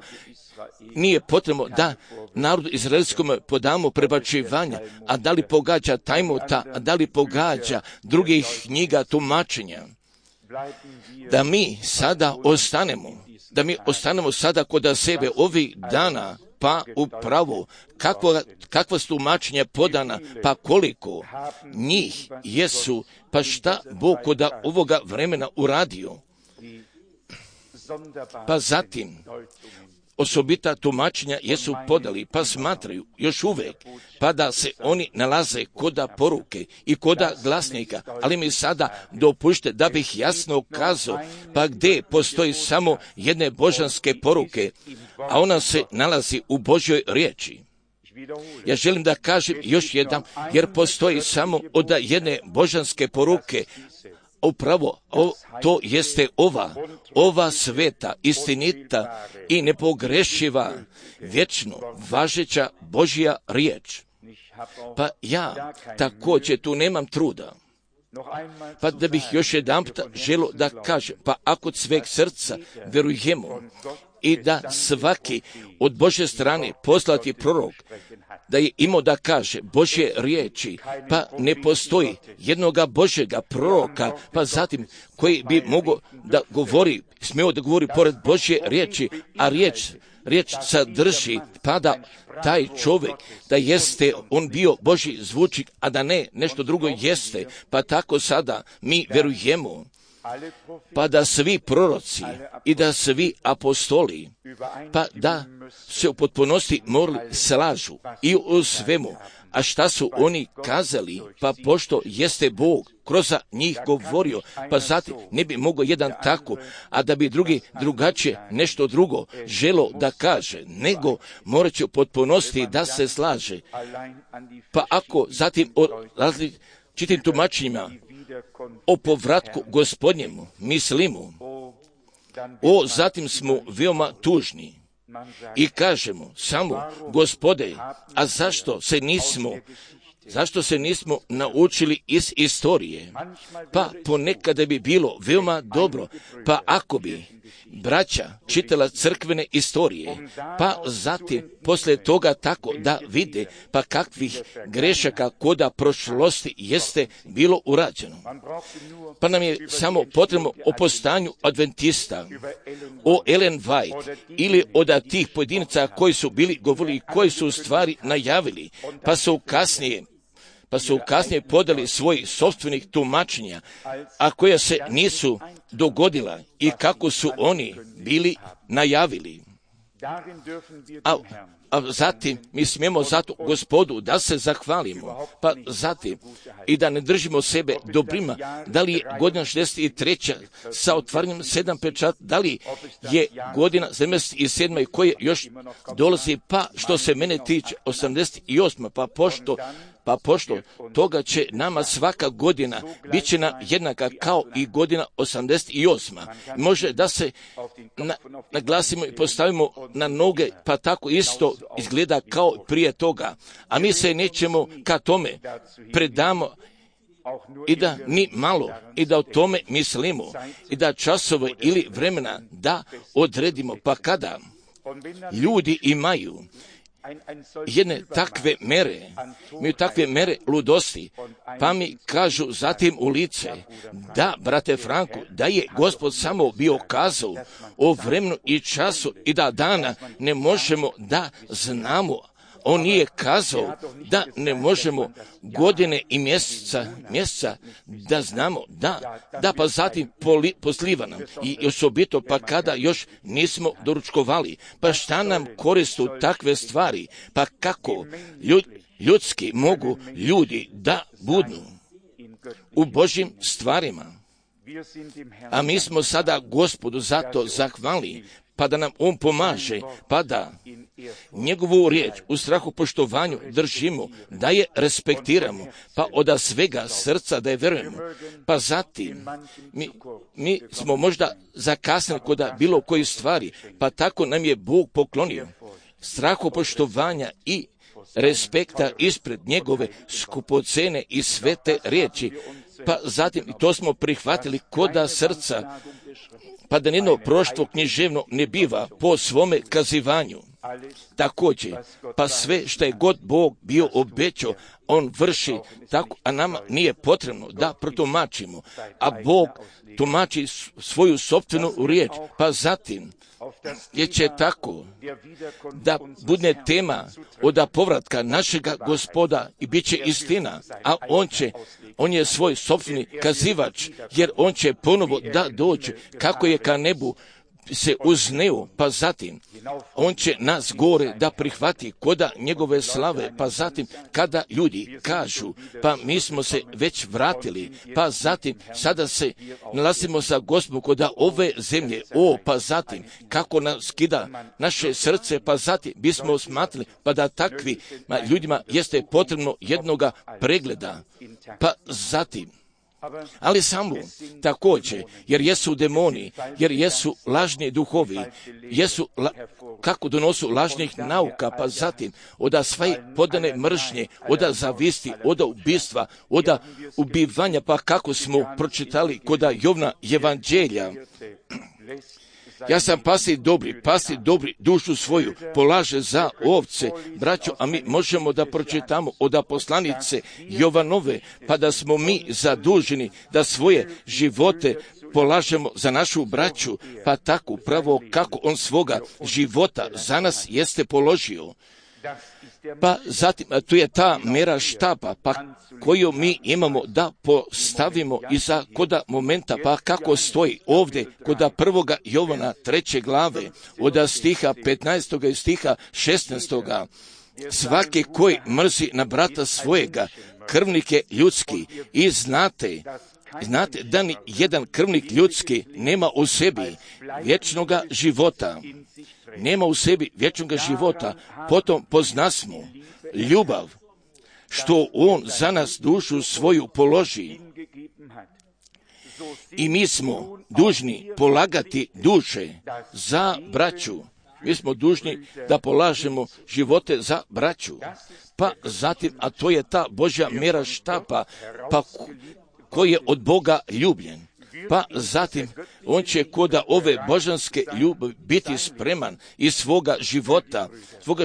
nije potrebno da narodu izraelskom podamo prebačivanja, a da li pogađa Tajmota, a da li pogađa drugih knjiga tumačenja. Da mi sada ostanemo sada kod sebe ovih dana, pa upravo kakva su tumačenja podana, pa koliko njih jesu, pa šta Bog kod ovoga vremena uradio. Pa zatim, osobita tumačenja jesu podali, pa smatraju još uvijek, pa da se oni nalaze koda poruke i koda glasnika, ali mi sada dopušte da bih jasno kazao, pa gdje postoji samo jedne božanske poruke, a ona se nalazi u Božjoj riječi. Ja želim da kažem još jedan, jer postoji samo od jedne božanske poruke, upravo to jeste ova sveta, istinita i nepogrešiva, vječno važeća Božja riječ. Pa ja također tu nemam truda Pa da bih još jedanput želio da kažem, pa ako od sveg srca verujemo i da svaki od Božje strane poslati prorok, da je imao da kaže Božje riječi, pa ne postoji jednoga Božjega proroka, pa zatim koji bi mogao da govori, smio da govori pored Božje riječi, a riječ sadrži, pa da taj čovjek, da jeste on bio Božji zvučnik, a da ne nešto drugo jeste, pa tako sada mi verujemo, pa da svi proroci i da svi apostoli, pa da se u potpunosti morali slažu i u svemu. A šta su oni kazali? Pa pošto jeste Bog kroz njih govorio, pa zatim ne bi mogao jedan tako, a da bi drugi drugačije nešto drugo želo da kaže, nego morat će u potpunosti da se slaže. Pa ako zatim o različitim tumačenjima o povratku Gospodnjemu mislimo, zatim smo veoma tužni i kažemo samo, Gospode, a zašto se nismo naučili iz istorije? Pa ponekada bi bilo veoma dobro, pa ako bi braća čitala crkvene istorije, pa zatim poslije toga tako da vide pa kakvih grešaka koda prošlosti jeste bilo urađeno. Pa nam je samo potrebno o postanju adventista, o Ellen White ili od tih pojedinaca koji su bili govorili, koji su u stvari najavili, pa su kasnije podali svojih sopstvenih tumačenja, a koja se nisu dogodila i kako su oni bili najavili. A zatim mi smijemo zato Gospodu da se zahvalimo, pa zatim i da ne držimo sebe dobrima, da li je godina 63. sa otvaranjem 7 pečata, da li je godina 77. koje još dolazi, pa što se mene tiče 88. Pa pošto toga će nama svaka godina bit će nam jednaka kao i godina 88. Može da se naglasimo i postavimo na noge, pa tako isto izgleda kao prije toga. A mi se nećemo ka tome predamo i da ni malo, i da o tome mislimo, i da časove ili vremena da odredimo, pa kada ljudi imaju jedne takve mere ludosti, pa mi kažu zatim u lice, da, brate Franku, da je Gospod samo bio kazao o vremenu i času i da dana ne možemo da znamo. On nije kazao da ne možemo godine i mjeseca da znamo, da pa zatim posliva nam i osobito pa kada još nismo doručkovali. Pa šta nam koristu takve stvari? Pa kako ljudski mogu ljudi da budnu u Božjim stvarima? A mi smo sada Gospodu zato zahvali, pa da nam On pomaže, pa da njegovu riječ u strahu poštovanju držimo, da je respektiramo, pa od svega srca da je verujemo. Pa zatim mi smo možda zakasnili kod bilo koji stvari, pa tako nam je Bog poklonio strahu poštovanja i respekta ispred njegove skupocene i svete riječi. Pa zatim to smo prihvatili koda srca, pa da nijedno proštvo književno ne biva po svome kazivanju. Također, pa sve što je god Bog bio obećao, On vrši tako, a nama nije potrebno da protumačimo, a Bog tumači svoju sopstvenu riječ, pa zatim je će tako da bude tema od povratka našega Gospoda i bit će istina, a on je svoj sopstveni kazivač, jer on će ponovo da dođe kako je ka nebu se uzneo, pa zatim on će nas gore da prihvati koda njegove slave, pa zatim kada ljudi kažu, pa mi smo se već vratili, pa zatim sada se nalazimo sa Gospodom koda ove zemlje, pa zatim kako nas skida naše srce, pa zatim bismo smatrali, pa da takvi ljudima jeste potrebno jednoga pregleda, pa zatim ali samo također, jer jesu demoni, jer jesu lažni duhovi, kako donosu lažnih nauka, pa zatim oda sve podane mržnje, oda zavisti, oda ubistva, oda ubivanja, pa kako smo pročitali koda Jovna evanđelja. Ja sam pastir dobri dušu svoju polaže za ovce, braćo, a mi možemo da pročitamo od poslanice Jovanove, pa da smo mi zaduženi da svoje živote polažemo za našu braću, pa tako upravo kako on svoga života za nas jeste položio. Pa zatim, tu je ta mera štapa, pa koju mi imamo da postavimo iza koda momenta, pa kako stoji ovdje koda 1. Jovana 3. glave, od stiha 15. i stiha 16. Svaki koji mrzi na brata svojega, krvnik je ljudski, i znate da ni jedan krvnik ljudski nema u sebi vječnoga života. Nema u sebi vječnoga života, potom poznasmo ljubav, što on za nas dušu svoju položi. I mi smo dužni polagati duše za braću. Mi smo dužni da polažemo živote za braću. Pa zatim, a to je ta Božja mera štapa, pa koji je od Boga ljubljen. Pa zatim, on će koda ove božanske ljubavi biti spreman iz svoga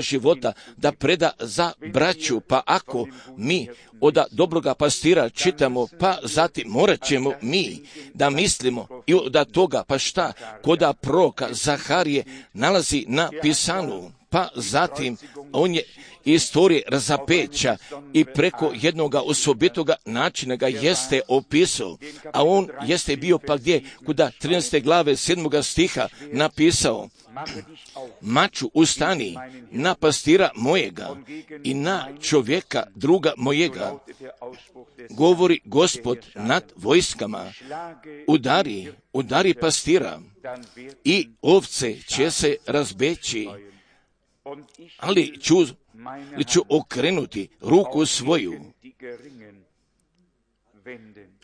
života da preda za braću. Pa ako mi od dobroga pastira čitamo, pa zatim morat ćemo mi da mislimo i od toga, pa šta, koda proroka Zaharije nalazi na pisanu. Pa zatim, on je istorije razapeća i preko jednoga osobitoga načina ga jeste opisao, a on jeste bio pa gdje, kuda 13. glave 7. stiha napisao: maču ustani na pastira mojega i na čovjeka druga mojega, govori Gospod nad vojskama, udari pastira i ovce će se razbeći, ali ću okrenuti ruku svoju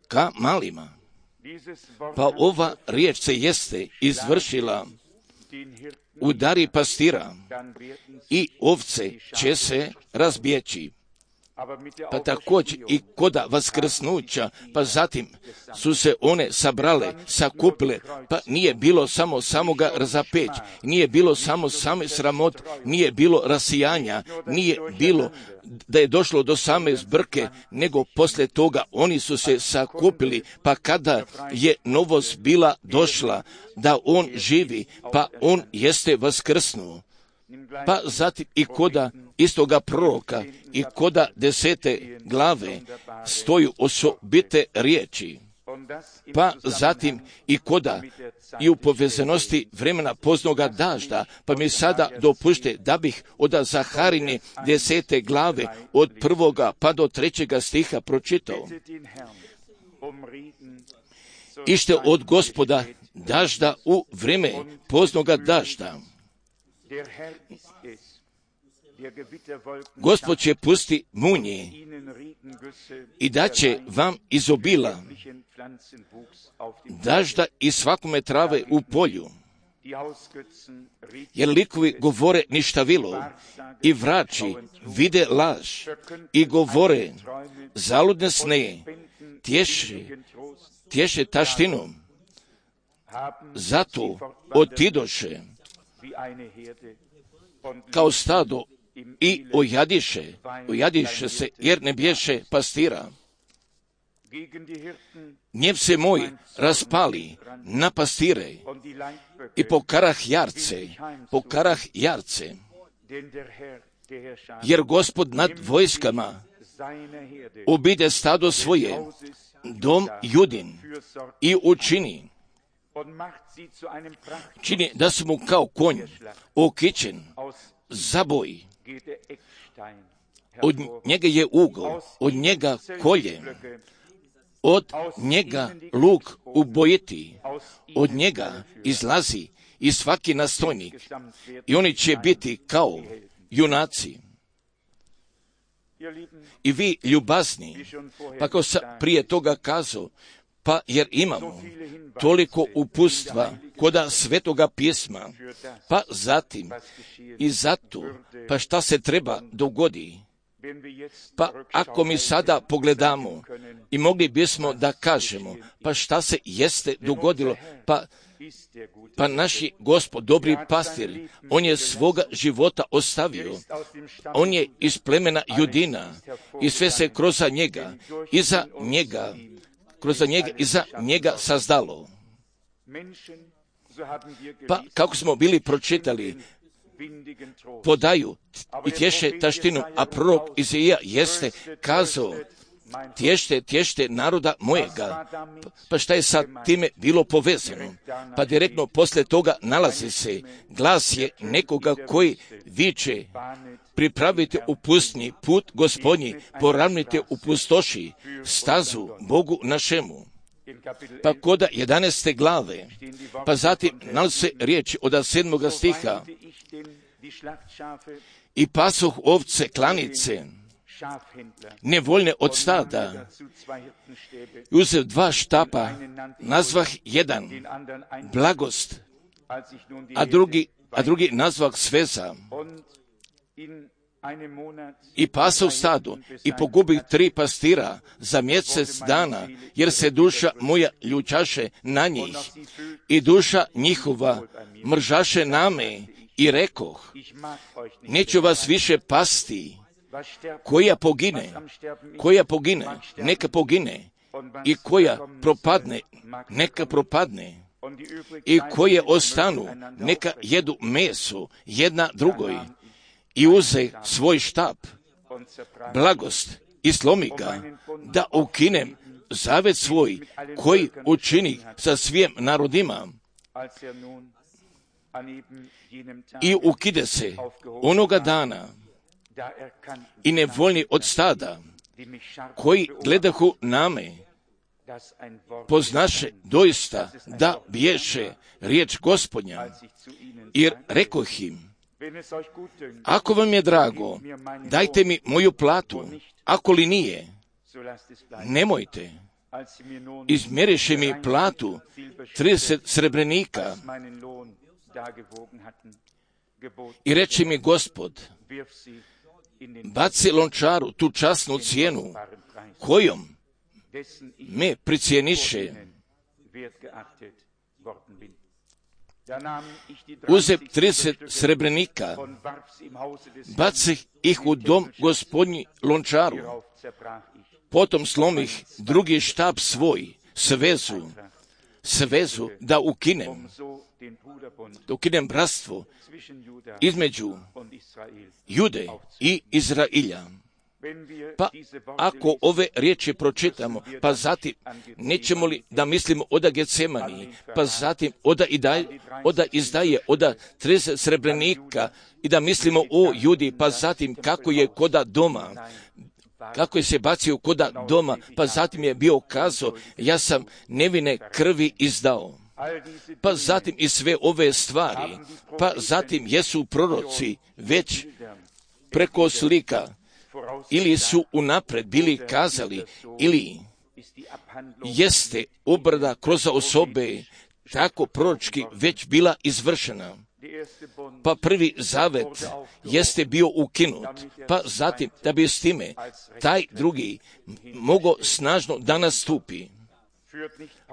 ka malima. Pa ova riječ se jeste izvršila: udari pastira i ovce će se razbjeći. Pa također i koda vaskrsnuća, pa zatim su se one sabrale, sakupile, pa nije bilo samo samoga razapeć, nije bilo samo same sramot, nije bilo rasijanja, nije bilo da je došlo do same zbrke, nego poslije toga oni su se sakupili, pa kada je novost bila došla da on živi, pa on jeste vaskrsnuo. Pa zatim i koda istoga proroka i koda 10. glave stoju osobite riječi. Pa zatim i koda i u povezanosti vremena poznoga dažda, pa mi sada dopušte da bih od Zaharine 10. glave od 1. pa do 3. stiha pročitao. Ište od Gospoda dažda u vreme poznoga dažda. Gospod će pusti munje i daće vam iz obila dažda i svakome trave u polju, jer likovi govore ništavilo i vrači vide laž i govore zaludne sne, tješe taštinom, zato otidoše kao stado i ojadiše se, jer ne bješe pastira. Gnjev se moj raspali na pastire i pokarah jarce, jer Gospod nad vojskama obide stado svoje, dom Judin, i učini da su mu kao konj okićen zaboj. Od njega je ugao, od njega kolje, od njega luk ubojiti, od njega izlazi i svaki nastojnik, i oni će biti kao junaci. I vi ljubazni, pa kao sam prije toga kazao, Pa jer imamo toliko uputstva koda Svetoga pisma, pa zatim i zato, pa šta se treba dogodi. Pa ako mi sada pogledamo i mogli bismo da kažemo, pa šta se jeste dogodilo, pa naši Gospod, dobri pastir, on je svoga života ostavio, on je iz plemena Judina i sve se kroz njega, iza njega sazdalo. Pa kako smo bili pročitali, podaju i tješe taštinu, a prorok Izaija jeste kazao, tješte naroda mojega. Pa šta je sa time bilo povezano? Pa direktno posle toga nalazi se, glas je nekoga koji viče, pripravite u pustnji put Gospodnji, poravnite u pustoši stazu Bogu našemu. Pa koda 11. glave, pa zatim nalazi se riječi od 7. stiha, i pasoh ovce klanice, nevoljne od stada, uzev 2 štapa, nazvah jedan blagost, a drugi nazvah sveza. I pasao stado i pogubih 3 pastira za mjesec dana, jer se duša moja ljučaše na njih i duša njihova mržaše na me, i rekoh, neću vas više pasti, koja pogine, neka pogine, i koja propadne, neka propadne, i koje ostanu, neka jedu meso jedna drugoj. I uze svoj štap, blagost, i slomi ga, da ukinem zavet svoj, koji učini sa svim narodima. I ukide se onoga dana, i nevoljni od stada, koji gledahu na me, poznaše doista da biješe riječ Gospodnja, jer rekoh im, ako vam je drago, dajte mi moju platu, ako li nije, nemojte. Izmjeriše mi platu 30 srebrenika i reče mi Gospod, baci lončaru tu časnu cijenu, kojom me pricijeniše. Uzep 30 srebrenika, bacih ih u dom Gospodnji lončaru, potom slomih drugi štap svoj, svezu da ukinem bratstvo između Jude i Izrailja. Pa ako ove riječi pročitamo, pa zatim nećemo li da mislimo oda Getsemani, pa zatim oda izdaje, oda 30 srebrenika i da mislimo o Judi, pa zatim kako je koda doma, kako je se bacio koda doma, pa zatim je bio kazao, ja sam nevine krvi izdao. Pa zatim i sve ove stvari, pa zatim jesu proroci već preko slika, ili su unapred bili kazali, ili jeste obrada kroz osobe tako proročki već bila izvršena. Pa prvi zavet jeste bio ukinut, pa zatim da bi s time taj drugi mogao snažno da nastupi.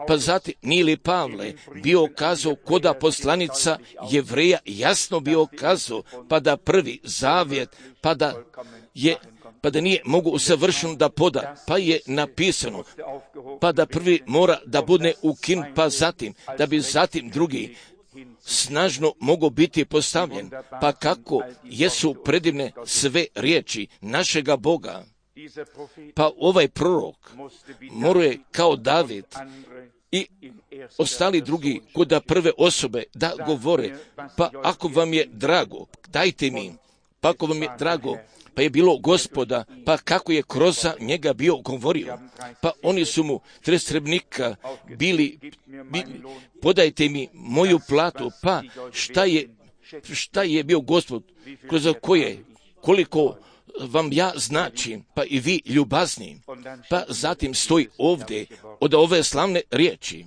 Pa zatim nije li Pavle bio kazao koda poslanica Jevreja jasno bio kazao, pa da prvi zavjet, pa da nije mogu usavršeno da poda, pa je napisano, pa da prvi mora da bude ukinut, pa zatim, da bi zatim drugi snažno mogu biti postavljen, pa kako jesu predivne sve riječi našega Boga. Pa ovaj prorok moruje kao David i ostali drugi kod prve osobe da govore, pa ako vam je drago, dajte mi, pa ako vam je drago, pa je bilo Gospoda, pa kako je kroz njega bio govorio, pa oni su mu 30 srebrenika bili, podajte mi moju platu, pa šta je bio Gospod, kroz koliko vam ja značim, pa i vi ljubazni. Pa zatim stoji ovdje od ove slavne riječi.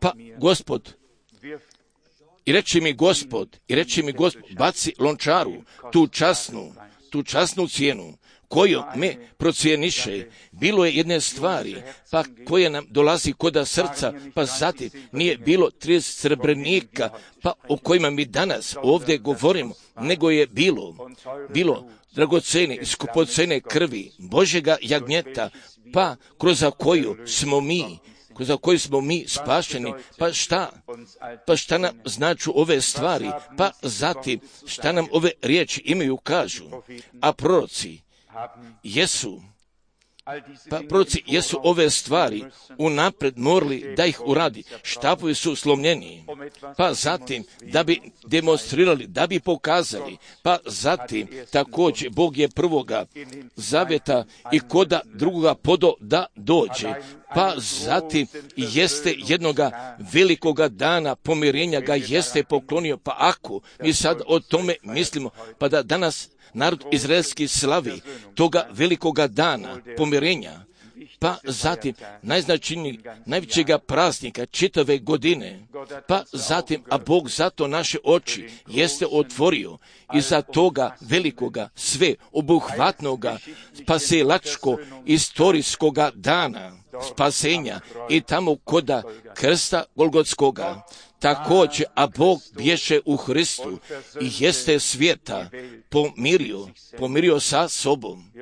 Pa Gospod, i reći mi Gospod, baci lončaru, tu časnu cijenu, koju me procijeniše. Bilo je jedne stvari, pa koje nam dolazi koda srca, pa zatim nije bilo 30 srebrnika, pa o kojima mi danas ovdje govorimo, nego je bilo dragocene, skupocene krvi Božjega jagnjeta, pa kroz koju smo mi spašeni. Pa šta nam značu ove stvari, pa zatim šta nam ove riječi imaju kažu, a proroci jesu ove stvari unaprijed morali da ih uradi. Štapovi su slomljeni, pa zatim da bi demonstrirali, da bi pokazali, pa zatim također Bog je prvoga zavjeta i koda drugoga podo da dođe, pa zatim jeste jednoga velikoga dana pomirenja ga jeste poklonio. Pa ako mi sad o tome mislimo, pa da danas narod izraelski slavi toga velikoga dana pomirenja, pa zatim najvećega praznika čitave godine, pa zatim, a Bog zato naše oči jeste otvorio i za toga velikoga, sve obuhvatnoga, spasilačko, istorijskoga dana spasenja i tamo koda krsta Golgotskoga. Također, a Bog bješe u Hristu i jeste svijeta pomirio sa sobom.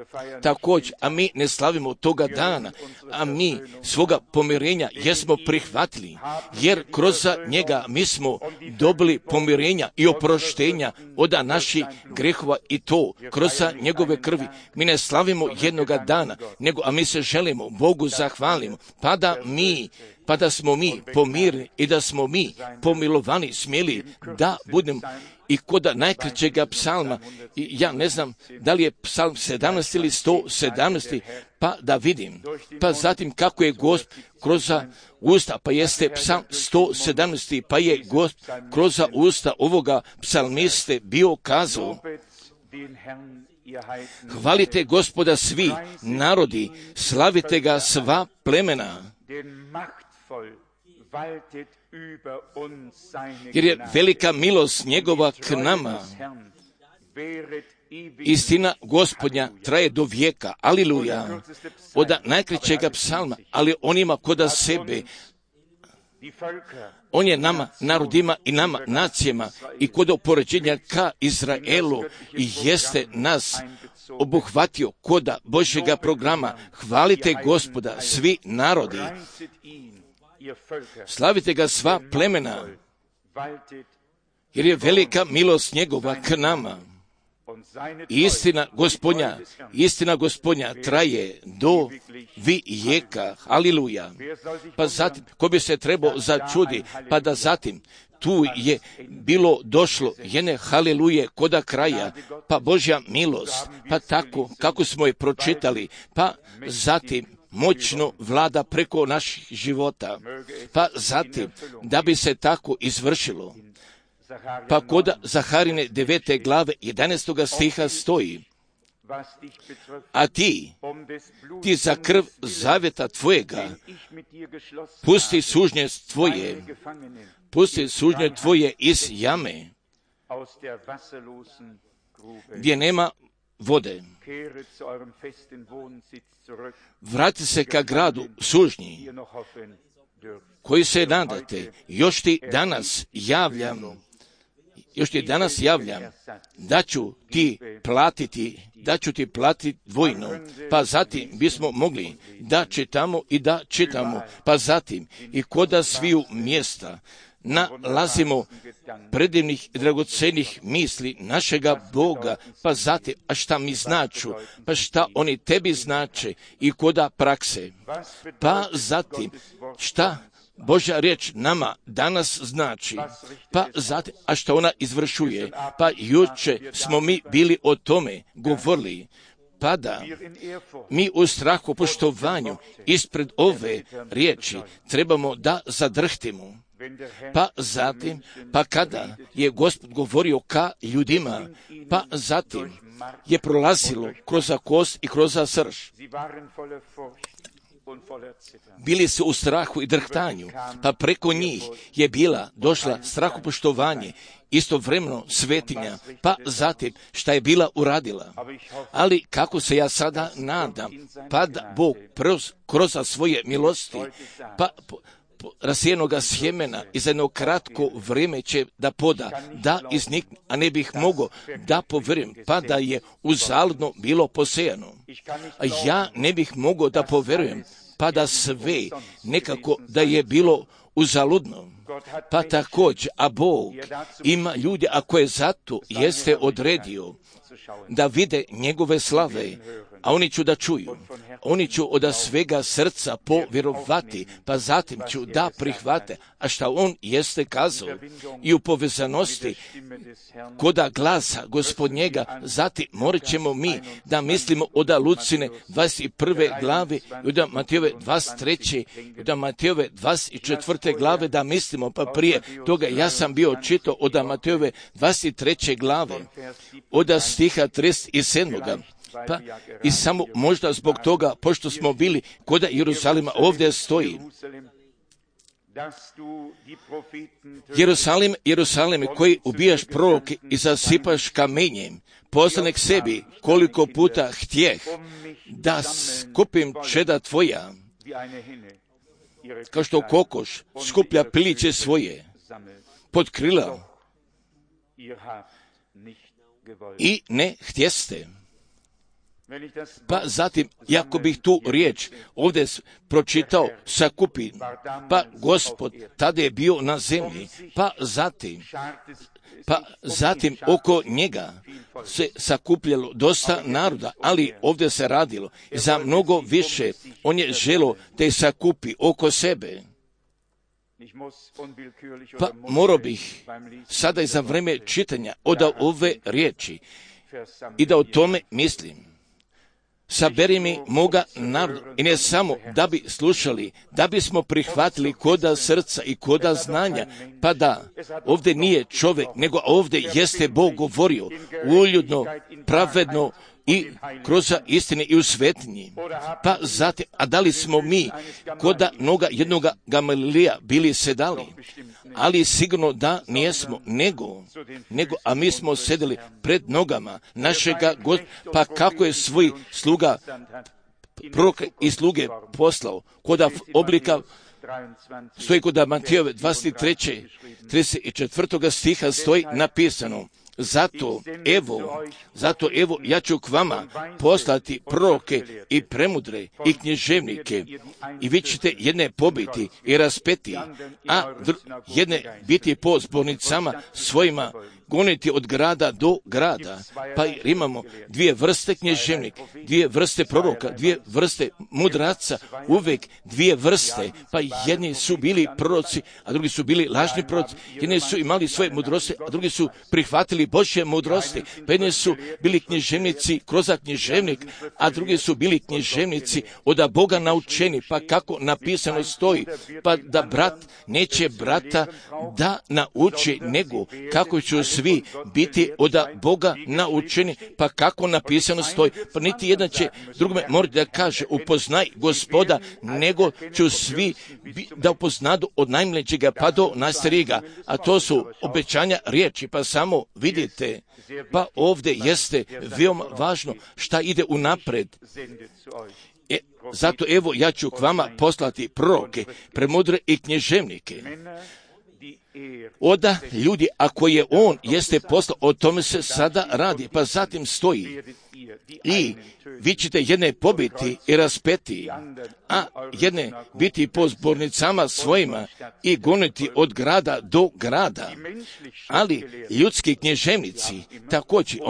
Također, a mi ne slavimo toga dana, a mi svoga pomirenja jesmo prihvatili, jer kroz njega mi smo dobili pomirenja i oproštenja od naših grehova i to kroz njegove krvi. Mi ne slavimo jednoga dana, nego a mi se želimo Bogu zahvalimo, pa da smo mi pomirni i da smo mi pomilovani smjeli da budemo i koda najkraćega psalma, i ja ne znam da li je psalm 17 ili 117, pa da vidim, pa zatim kako je Gospod kroz usta, pa jeste psalm 117, pa je Gospod kroz usta ovoga psalmiste bio kazao: hvalite Gospoda svi narodi, slavite ga sva plemena, jer je velika milost njegova k nama. Istina Gospodnja traje do vijeka. Aliluja. Od najkraćega psalma, ali onima koda sebe, on je nama, narodima i nama, nacijama, i kod opoređenja ka Izraelu i jeste nas obuhvatio koda Božjega programa. Hvalite Gospoda svi narodi, slavite ga sva plemena, jer je velika milost njegova k nama. Istina Gospodnja traje do vijeka. Aliluja. Pa zatim, ko bi se trebao začudi, pa da zatim tu je bilo došlo jedne haliluje koda kraja, pa Božja milost, pa tako kako smo je pročitali, pa zatim moćno vlada preko naših života, pa zatim da bi se tako izvršilo. Pa kod Zaharine 9. glave 11. stiha stoji: a ti za krv zavjeta tvojega pusti sužnje tvoje iz jame, gdje nema vode. Vrati se ka gradu sužnji, koji se nadate. Još ti danas javljam da ću ti platiti dvojno. Pa zatim bismo mogli da čitamo, pa zatim i koda sviju mjesta nalazimo predivnih i dragocenih misli našega Boga, pa zatim, a šta mi značu, pa šta oni tebi znače i koda prakse, pa zatim šta Božja riječ nama danas znači, pa zatim, a šta ona izvršuje, pa juče smo mi bili o tome govorili, pa da mi u strahu poštovanju ispred ove riječi trebamo da zadrhtimo. Pa zatim, pa kada je Gospod govorio ka ljudima, pa zatim je prolazilo kroz kost i kroz srž. Bili su u strahu i drhtanju, pa preko njih je došla strahopoštovanje, istovremeno svetinja, pa zatim šta je bila uradila. Ali kako se ja sada nadam, pa da Bog kroz svoje milosti, pa rasijenoga sjemena i za jedno kratko vrijeme će da poda, da iznikne, a ne bih mogao da povjerujem, pa da je uzaludno bilo posejano. A ja ne bih mogao da povjerujem, pa da sve nekako da je bilo uzaludno. Pa također, a Bog ima ljude, a koje zato jeste odredio da vide njegove slave, a oni ću da čuju. Oni ću od svega srca povjerovati, pa zatim ću da prihvate, a šta on jeste kazao. I u povezanosti koda glasa Gospodnjega, zatim morat ćemo mi da mislimo od Lucine 21. glave, i od Matejove 23. i od Matejove 24. glave da mislimo, pa prije toga ja sam bio čitao od Matejove 23. glave, od stiha 37. Pa i samo možda zbog toga, pošto smo bili kod Jeruzalima, ovdje stoji: Jerusalime, koji ubijaš proroke i zasipaš kamenjem, poslanek sebi koliko puta htjeh da skupim čeda tvoja, kao što kokoš skuplja piliće svoje pod krila, i ne htjeste. Pa zatim, jako bih tu riječ ovdje pročitao sakupi, pa Gospod tada je bio na zemlji, pa zatim oko njega se sakupljalo dosta naroda, ali ovdje se radilo za mnogo više. On je želio te sakupi oko sebe. Pa morao bih sada i za vrijeme čitanja od ove riječi i da o tome mislim. Saberi mi moga naroda, i ne samo da bi slušali, da bismo prihvatili koda srca i koda znanja, pa da ovdje nije čovjek, nego ovdje jeste Bog govorio uljudno, pravedno i kroz istine i u svetinji. Pa zatim, a da li smo mi koda noga jednoga Gamalilija bili sedali? Ali sigurno da nijesmo, nego, a mi smo sedeli pred nogama našega Gospoda, pa kako je svoj sluga, proroka i sluge poslao, koda oblika stoji kod Matejove 23. 34. stiha stoji napisano: Zato evo ja ću k vama poslati proroke i premudre i književnike, i vi ćete jedne pobiti i raspeti, a jedne biti po zbornicama svojima goniti od grada do grada. Pa imamo dvije vrste književnika, dvije vrste proroka, dvije vrste mudraca, uvek dvije vrste. Pa jedni su bili proroci, a drugi su bili lažni proroci. Jedni su imali svoje mudrosti, a drugi su prihvatili Božje mudrosti. Pa jedni su bili književnici kroz književnik, a drugi su bili književnici od Boga naučeni. Pa kako napisano stoji, pa da brat neće brata da nauči, nego kako ću svi biti od Boga naučeni, pa kako napisano stoji. Pa niti jedan će drugome morati da kaže upoznaj Gospoda, nego ću svi da upoznadu od najmlađega pa do najstarijega. A to su obećanja riječi, pa samo vidite, pa ovdje jeste veoma važno šta ide unapred. Zato evo ja ću k vama poslati proroke, premudre i književnike. Oda ljudi, ako je on jeste poslao, o tome se sada radi, pa zatim stoji: I vi ćete jedne pobiti i raspeti, a jedne biti po zbornicama svojima i goniti od grada do grada. Ali ljudski književnici, također,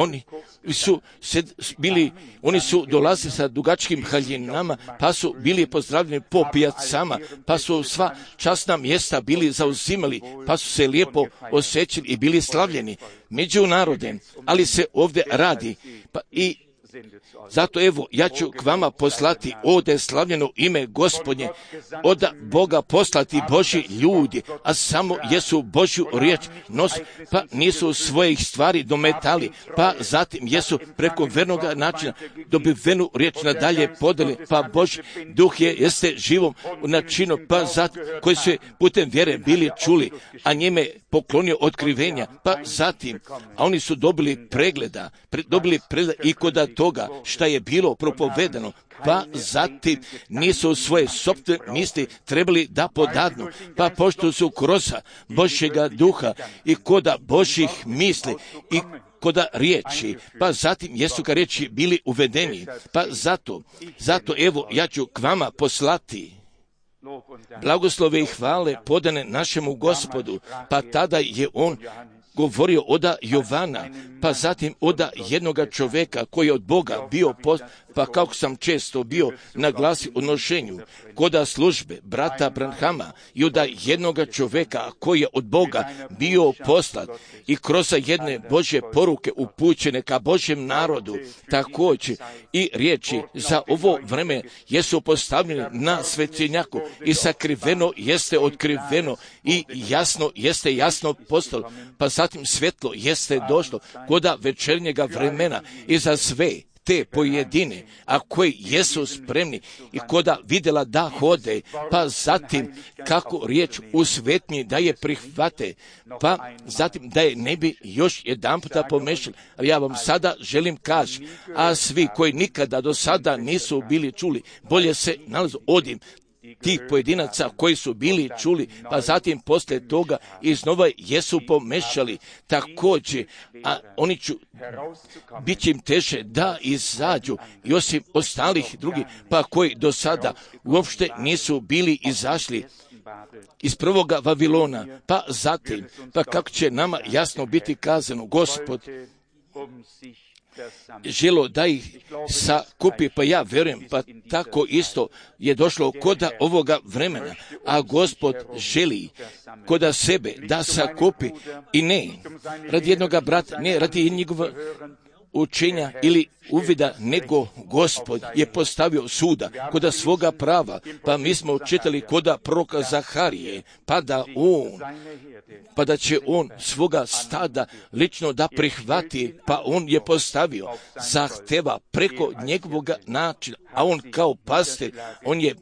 oni su dolazili sa dugačkim haljinama, pa su bili pozdravljeni po pijacama, pa su sva časna mjesta bili zauzimali, pa su se lijepo osjećali i bili slavljeni među narodem. Ali se ovdje radi, pa i Zato evo, ja ću k vama poslati ovdje slavljeno ime Gospodnje, od Boga poslati Božji ljudi, a samo jesu Božju riječ nosi, pa nisu svojih stvari dometali, pa zatim jesu preko vernoga načina dobivenu riječ nadalje podali, pa Božji duh jeste živom načinu, pa zatim koji su putem vjere bili čuli, a njime poklonio otkrivenja, pa zatim, a oni su dobili pregleda i kod toga šta je bilo propovedano, pa zatim nisu svoje sopstvene misli trebali da podadnu, pa pošto su kroz Božjega duha i koda Božjih misli i koda riječi, pa zatim jesu ka riječi bili uvedeni, pa zato evo ja ću k vama poslati blagoslove i hvale podane našemu Gospodu, pa tada je on govorio oda Jovana, pa zatim oda jednoga čovjeka koji je od Boga bio pa kako sam često bio na glasi o nošenju koda službe brata Branhama i oda jednoga čovjeka koji je od Boga bio poslat i kroz jedne Božje poruke upućene ka Božjem narodu, također i riječi za ovo vreme jesu postavljene na svetinjaku i sakriveno jeste otkriveno i jasno postalo, pa zatim svjetlo jeste došlo koda večernjega vremena i za sve te pojedine, a koji jesu spremni i koda vidjela da hode, pa zatim kako riječ u svetnji da je prihvate, pa zatim da je ne bi još jedan puta pomešali. Ali ja vam sada želim kaži, a svi koji nikada do sada nisu bili čuli, bolje se nalazu odim tih pojedinaca koji su bili čuli, pa zatim poslije toga iznova jesu pomešali također, a oni bit će im teže da izađu i osim ostalih drugih, pa koji do sada uopšte nisu bili izašli iz prvoga Vavilona, pa zatim, pa kako će nama jasno biti kazano, Gospod želo da ih sakupi, pa ja vjerujem, pa tako isto je došlo koda ovoga vremena, a Gospod želi koda sebe da sakupi i ne radi jednoga brata, ne radi njegova učenja ili uvida, nego Gospod je postavio suda koda svoga prava, pa mi smo čitali koda proroka Zaharije, pa da će on svoga stada lično da prihvati, pa on je postavio zahteva preko njegovog načina, a on kao pastir, on je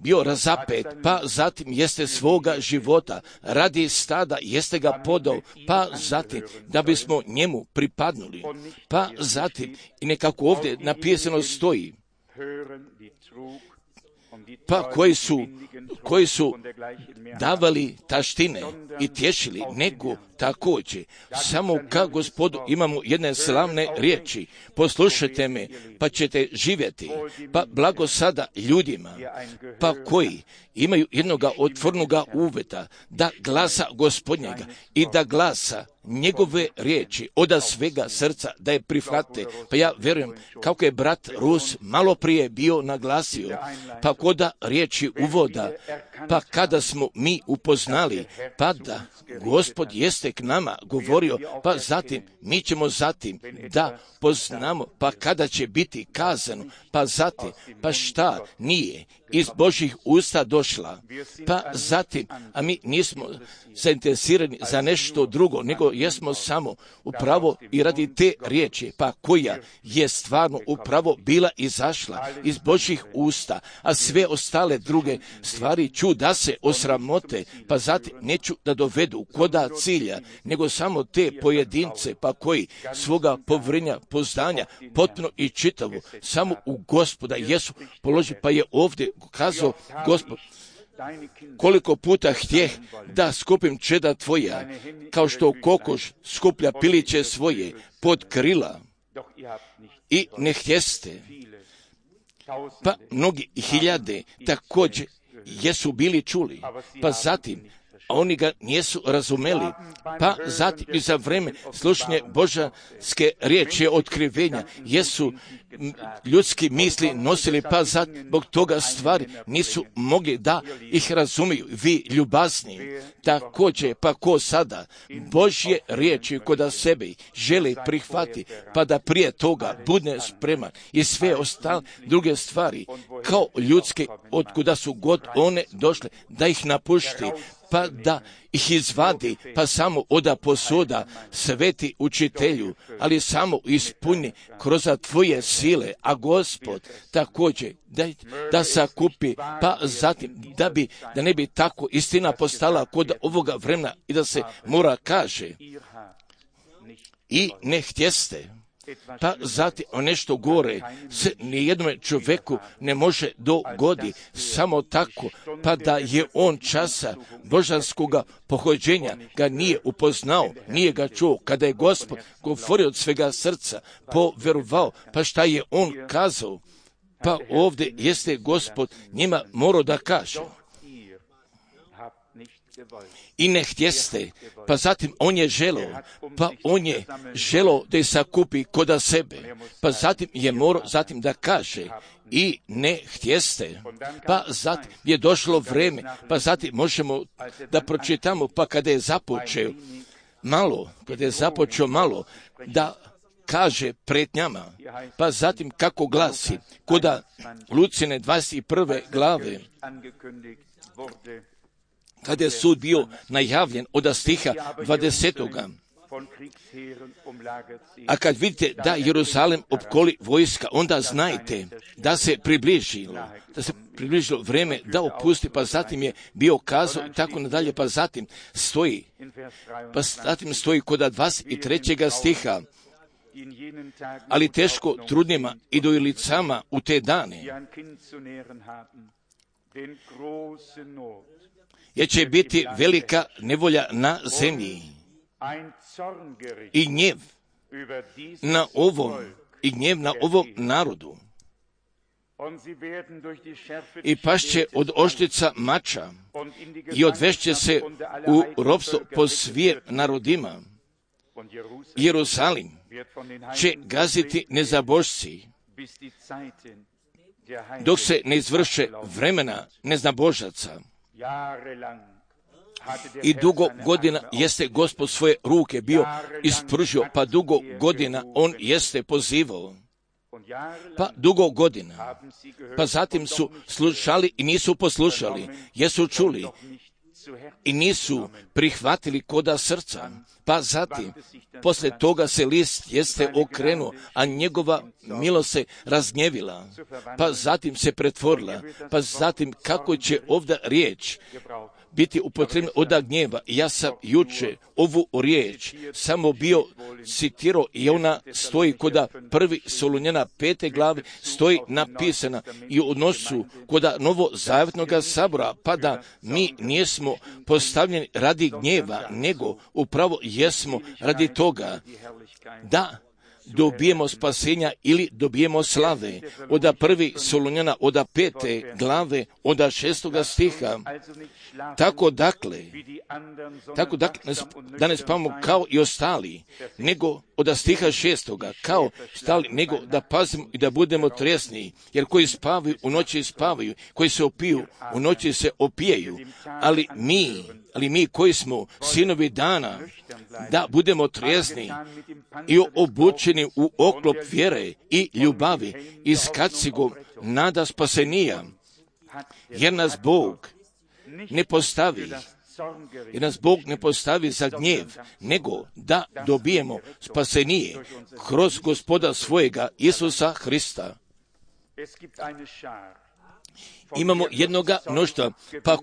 bio razapet, pa zatim jeste svoga života radi stada, jeste ga podao, pa zatim da bismo njemu pripadnuli, pa zatim i nekako ovdje napisano stoji, pa koji su davali taštine i tješili, nego također samo ka Gospodu imamo jedne slavne riječi, poslušajte me pa ćete živjeti, pa blago sada ljudima, pa koji imaju jednoga otvornoga uveta da glasa Gospodnjega i da glasa njegove riječi oda svega srca da je prihvate. Pa ja vjerujem kako je brat Rus malo prije bio naglasio, pa koda riječi uvoda, pa kada smo mi upoznali, pa da Gospod jeste k nama govorio, pa zatim mi ćemo zatim da poznamo, pa kada će biti kazano, pa zatim, pa šta nije iz Božjih usta došla, pa zatim, a mi nismo zainteresirani za nešto drugo, nego jesmo samo upravo i radi te riječi, pa koja je stvarno upravo bila izašla iz Božjih usta, a sve ostale druge stvari ću da se osramote, pa zatim neću da dovedu koda cilja, nego samo te pojedince, pa koji svoga povjerenja, poznanja, potpuno i čitavo, samo u Gospoda Jesu položi, pa je ovdje kazao Gospod, koliko puta htjeh da skupim čeda tvoja, kao što kokoš skuplja piliće svoje pod krila i ne htjeste. Pa mnogi hiljade također jesu bili čuli, pa zatim a oni ga nisu razumeli, pa zatim i za vreme slušanje božanske riječi otkrivenja jesu ljudski misli nosili, pa zbog toga stvari nisu mogli da ih razumiju. Vi ljubazni, također, pa ko sada Božje riječi kod sebe želi prihvati, pa da prije toga bude spreman i sve ostale druge stvari, kao ljudske, otkuda su god one došle, da ih napušti, pa da ih izvadi, pa samo oda posuda sveti učitelju, ali samo ispuni kroz tvoje sile, a Gospod također da sakupi, pa zatim da ne bi tako istina postala kod ovoga vremena i da se mora kaže i ne htjeste. Pa zatim nešto gore se nijednom čovjeku ne može dogodi samo tako, pa da je on časa božanskoga pohođenja ga nije upoznao, nije ga čuo, kada je Gospod govorio od svega srca, povjerovao, pa šta je on kazao, pa ovdje jeste Gospod njima morao da kaže. I ne htjeste, pa zatim on je želeo da je sakupi koda sebe, pa zatim je morao zatim da kaže i ne htjeste, pa zatim je došlo vrijeme, pa zatim možemo da pročitamo, pa kada je započeo malo da kaže pretnjama, pa zatim kako glasi, koda Lucine 21. glave, kada je sud bio najavljen od stiha 20. A kad vidite da Jeruzalem opkoli vojska, onda znajte da se približilo vrijeme da opusti, pa zatim je bio kazao i tako nadalje, pa zatim stoji kod 23. stiha, ali teško trudnima i dojilicama u te dane, jer će biti velika nevolja na zemlji i gnjev na ovom narodu. I pašće od oštrica mača i odvešće se u ropstvo po svim narodima. Jerusalim će gaziti nezabožci dok se ne izvrše vremena neznabožaca. I dugo godina jeste Gospod svoje ruke bio ispružio, pa dugo godina on jeste pozivao. Pa dugo godina. Pa zatim su slušali i nisu poslušali, jesu čuli i nisu prihvatili koda srca. Pa zatim, poslije toga se list jeste okrenuo, a njegova milost se razgnjevila. Pa zatim se pretvorila. Pa zatim kako će ovdje riječ biti upotrebna od gnjeva. Ja sam juče ovu riječ samo bio citirao i ona stoji koda 1. Solunjana 5. glave stoji napisana i u odnosu koda novozavjetnog sabora, pa da mi nismo postavljeni radi gnjeva, nego upravo jesmo radi toga da dobijemo spasenja ili dobijemo slave. Od 1. Solunjana, od 5. glave, od 6. stiha. Tako dakle, da ne spavamo kao i ostali, nego od stiha 6. kao stali, nego da pazimo i da budemo tresni, jer koji spavaju u noći spavaju, koji se opiju u noći se opijaju, ali mi koji smo sinovi dana, da budemo trijezni i obučeni u oklop vjere i ljubavi i s kacigom nada spasenija, jer nas Bog ne postavi za gnjev, nego da dobijemo spasenije kroz Gospoda svojega Isusa Hrista. Imamo jednoga mnoštva, pa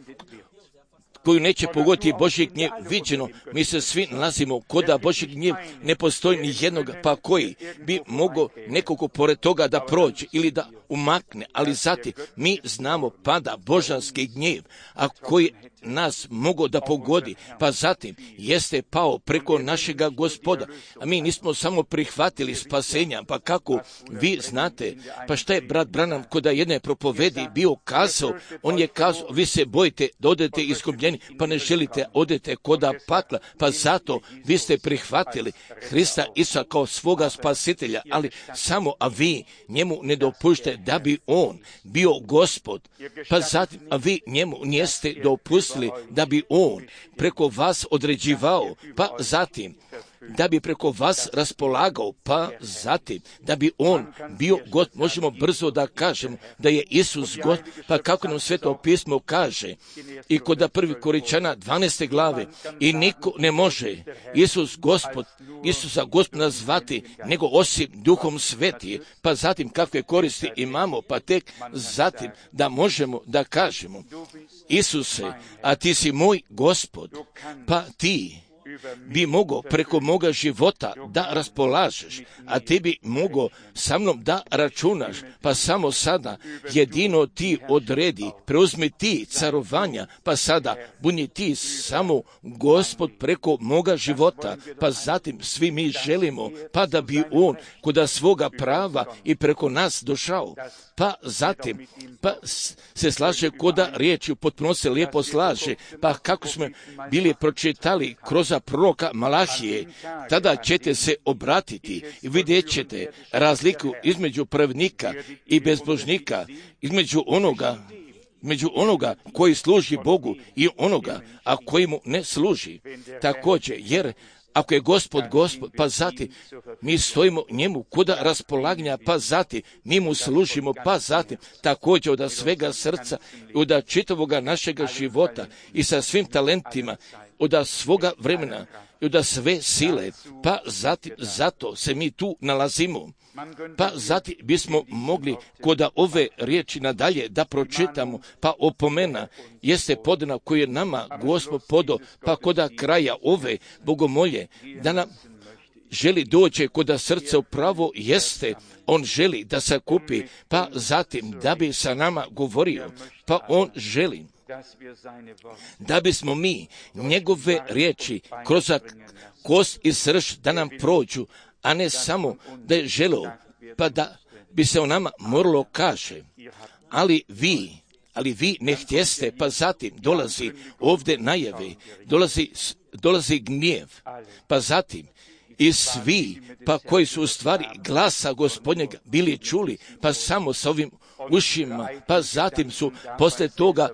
koju neće pogoditi Božji gnjev viđeno. Mi se svi nalazimo koda Božji gnjev ne postoji ni jednog, pa koji bi mogao nekoliko pored toga da prođe ili da umakne, ali zatim mi znamo pada božanski gnjev, a koji nas mogao da pogodi, pa zatim jeste pao preko našega Gospoda, a mi nismo samo prihvatili spasenja, pa kako vi znate, pa šta je brat Branham kod jedne propovedi bio kazao, on je kazao, vi se bojite da odete izgubljeni, spasenje, pa ne želite odete koda pakla, pa zato vi ste prihvatili Hrista Isusa kao svoga spasitelja, ali samo, a vi njemu ne dopušte da bi on bio Gospod, pa zatim, a vi njemu niste dopustili da bi on preko vas određivao, pa zatim da bi preko vas raspolagao, pa zatim da bi on bio God. Možemo brzo da kažemo da je Isus God, pa kako nam Sveto pismo kaže i kod 1. Korinčana 12. glave, i niko ne može Isusa Gospod nazvati nego osim Duhom Sveti, pa zatim kakve koristi imamo, pa tek zatim da možemo da kažemo Isuse, a ti si moj Gospod, pa ti bi mogao preko moga života da raspolažeš, a ti bi mogao sa mnom da računaš, pa samo sada jedino ti odredi, preuzmi ti carovanja, pa sada budi ti samo Gospod preko moga života, pa zatim svi mi želimo, pa da bi on kod svoga prava i preko nas došao, pa zatim pa se slaže koda riječi, potpuno se lijepo slaže, pa kako smo bili pročitali kroz proroka Malahije, tada ćete se obratiti i vidjet ćete razliku između pravednika i bezbožnika, između onoga koji služi Bogu i onoga, a koji mu ne služi. Također, jer ako je Gospod, pa zatim mi stojimo njemu koda raspolaganja, pa zatim mi mu služimo, pa zatim također od svega srca, od čitavoga našega života i sa svim talentima, od svoga vremena i od sve sile, pa zatim zato se mi tu nalazimo. Pa zatim bismo mogli koda ove riječi nadalje da pročitamo, pa opomena jeste podana koju je nama Gospod podao, pa koda kraja ove bogomolje, da nam želi doći koda srce upravo jeste, on želi da se kupi, pa zatim da bi sa nama govorio, pa on želi da bismo mi njegove riječi kroz kost i srž da nam prođu, a ne samo da je želio, pa da bi se o nama moralo kaže, ali vi ne htjeste, pa zatim dolazi ovdje najave, dolazi gnjev, pa zatim i svi, pa koji su u stvari glasa Gospodnjega bili čuli, pa samo s ovim ušima, pa zatim su poslije toga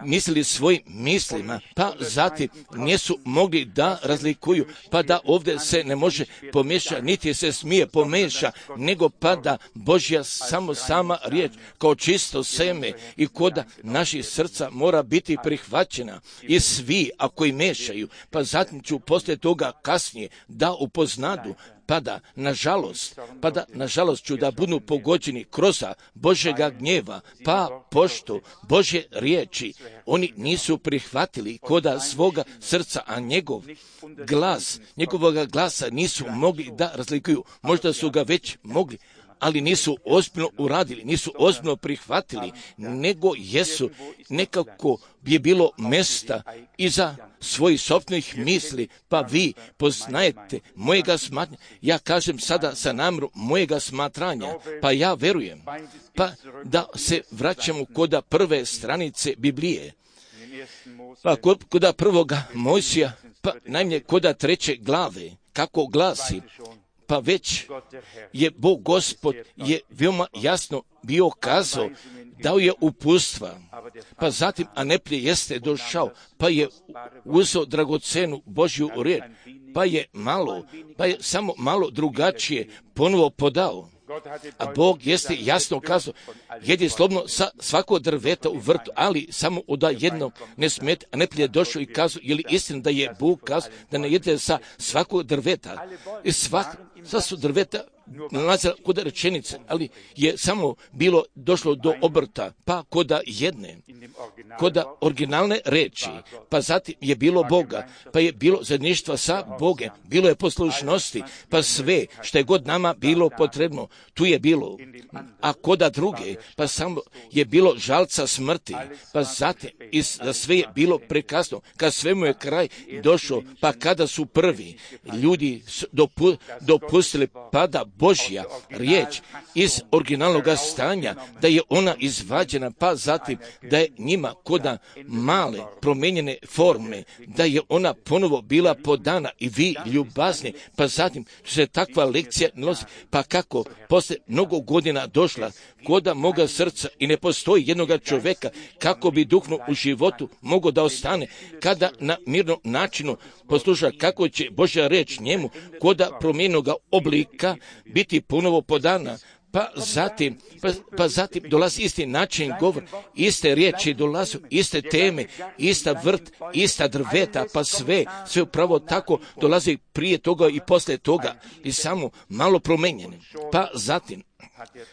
mislili svojim mislima, pa zatim nisu mogli da razlikuju, pa da ovdje se ne može pomiješa, niti se smije pomiješa, nego pa da Božja sama riječ kao čisto seme i koda naših srca mora biti prihvaćena i svi ako i mešaju, pa zatim ću poslije toga kasnije da upoznadu, pa da nažalost ću da budu pogođeni kroz Božjega gnjeva, pa pošto Božje riječi oni nisu prihvatili koda svoga srca, a njegovoga glasa nisu mogli da razlikuju. Možda su ga već mogli, ali nisu ozbiljno uradili, nisu ozbiljno prihvatili, nego jesu nekako je bilo mjesta iza svojih sopstvenih misli, pa vi poznajete mojega smatranja. Ja kažem sada sa namjerom mojega smatranja, pa ja verujem, pa da se vraćamo koda prve stranice Biblije, pa koda prvoga Mojsija, pa najmanje koda 3. glave, kako glasi, pa već je Bog Gospod je veoma jasno bio kazao, dao je uputstva, pa zatim, a neprije jeste došao, pa je uzeo dragocenu Božju riječ, pa je samo malo drugačije ponovo podao. A Bog jeste jasno kazao, jedi slobodno sa svakog drveta u vrtu, ali samo od jednog ne smete, a neprije došao i kazao, je li istina da je Bog kazao da ne jedete sa svakog drveta? I sva su drveta nalazila kod rečenice, ali je samo bilo došlo do obrta, pa koda jedne, koda originalne reči, pa zatim je bilo Boga, pa je bilo zajedništva sa Bogem, bilo je poslušnosti, pa sve što je god nama bilo potrebno, tu je bilo. A koda druge, pa samo je bilo žalca smrti, pa zatim i za sve je bilo prekasno, kad svemu je kraj došao, pa kada su prvi ljudi dopustili pada Božja riječ iz originalnog stanja, da je ona izvađena, pa zatim da je njima koda male promijenjene forme, da je ona ponovo bila podana i vi ljubazni, pa zatim se takva lekcija nosi, pa kako posle mnogo godina došla koda moga srca i ne postoji jednoga čovjeka kako bi duhno u životu mogao da ostane, kada na mirnom načinu posluša kako će Božja reč njemu koda promjenoga oblika biti ponovo podana. Pa zatim dolazi isti način govor, iste riječi dolaze, iste teme, ista vrt, ista drveta, pa sve upravo tako dolazi prije toga i poslije toga i samo malo promenjene. Pa zatim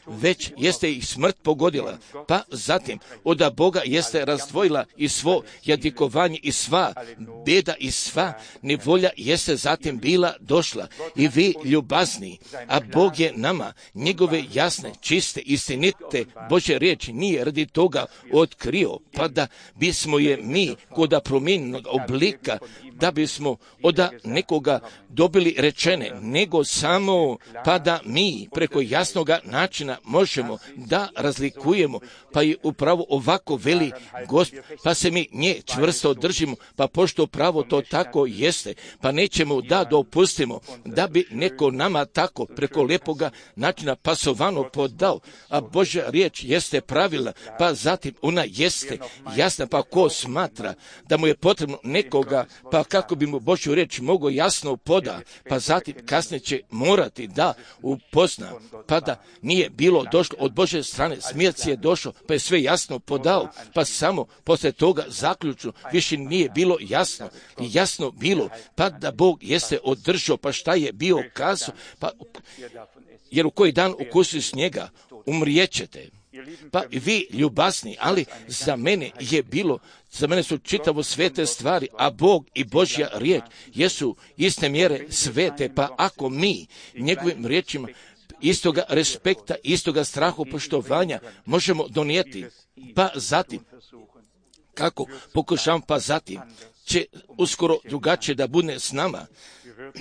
već jeste ih smrt pogodila, pa zatim od Boga jeste razdvojila i svo jadikovanje i sva beda i sva nevolja jeste zatim bila došla i vi ljubazni, a Bog je nama njegove jasne, čiste, istinite Božje riječi nije radi toga otkrio, pa da bismo je mi koda promijenjenog oblika, da bismo od nekoga dobili rečene, nego samo pa da mi preko jasnoga načina možemo da razlikujemo, pa je upravo ovako veli Gospod, pa se mi nje čvrsto držimo, pa pošto pravo to tako jeste, pa nećemo da dopustimo da bi neko nama tako preko lepoga načina pasovano podao, a Božja riječ jeste pravila, pa zatim ona jeste jasna, pa ko smatra da mu je potrebno nekoga, pa kako bi mu Božju riječ mogao jasno poda, pa zatim kasnije će morati da upozna, pa da nije bilo došlo od Božje strane, smijec je došao, pa je sve jasno podao, pa samo poslije toga zaključno više nije bilo jasno bilo, pa da Bog jeste održao, pa šta je bio kazao, pa jer u koji dan ukusili s njega, umrijećete. Pa vi ljubazni, ali za mene su čitavo svete stvari, a Bog i Božja riječ jesu iste mjere svete, pa ako mi njegovim riječima istoga respekta, istoga strahu poštovanja možemo donijeti, pa zatim kako pokušavam, pa zatim će uskoro drugačije da bude s nama,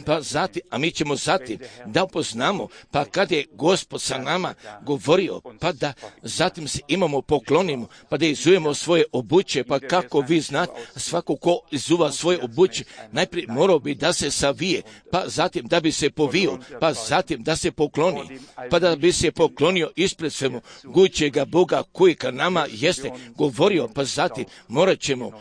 pa zatim, a mi ćemo zatim da upoznamo, pa kad je Gospod sa nama govorio, pa da zatim se imamo poklonimo, pa da izujemo svoje obuće, pa kako vi znate, svako ko izuva svoje obuće, najprije morao bi da se savije, pa zatim da bi se povio, pa zatim da se pokloni, pa da bi se poklonio ispred svemu gućega Boga koji ka nama jeste govorio, pa zatim morat ćemo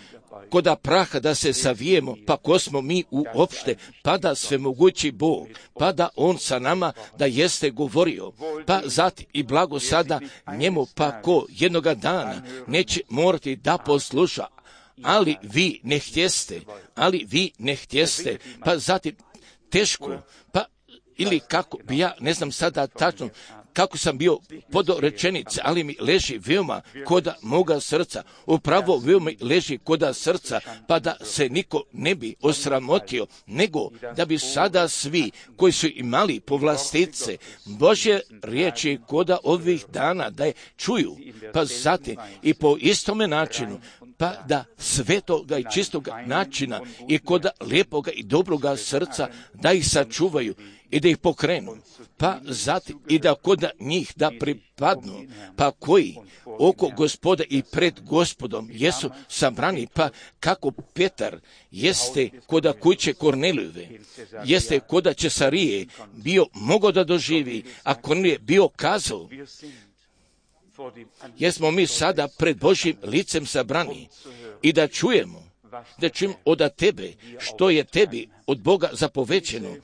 koda praha da se savijemo, pa ko smo mi uopšte, pa da svemogući Bog, pa da On sa nama da jeste govorio, pa zatim i blago sada njemu, pa ko jednoga dana neće morati da posluša, ali vi ne htjeste, pa zatim teško, pa ili kako bi ja, ne znam sada tačno, kako sam bio pod rečenice, ali mi leži veoma koda moga srca, upravo veoma leži koda srca, pa da se niko ne bi osramotio, nego da bi sada svi koji su imali povlastice Božje riječi koda ovih dana da je čuju, pa zatim i po istome načinu, pa da svetoga i čistoga načina i koda lijepoga i dobroga srca da ih sačuvaju i da ih pokrenu, pa zatim i da koda njih da pripadnu, pa koji oko Gospoda i pred Gospodom jesu sabrani, pa kako Petar jeste koda kuće Kornelijeve, jeste koda Cesarije bio mogao da doživi, a Kornelije bio kazao, jesmo mi sada pred Božjim licem sabrani i da čujemo od tebe što je tebi od Boga zapovećeno,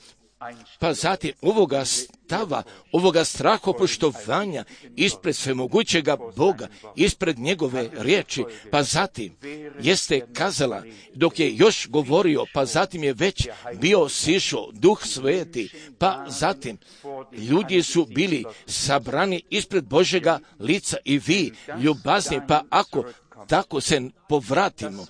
pa zatim ovoga stava, ovoga strahopoštovanja ispred svemogućega Boga, ispred njegove riječi, pa zatim jeste kazala, dok je još govorio, pa zatim je već bio sišao Duh Sveti, pa zatim ljudi su bili sabrani ispred Božjega lica i vi ljubazni, pa ako tako se povratimo,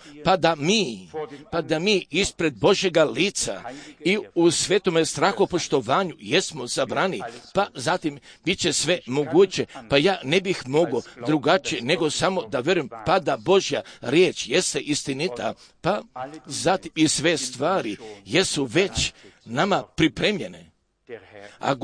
pa da mi ispred Božjega lica i u svetome strahopoštovanju jesmo zabrani, pa zatim bit će sve moguće, pa ja ne bih mogao drugačije nego samo da vjerujem, pa da Božja riječ jeste istinita, pa zatim i sve stvari jesu već nama pripremljene. A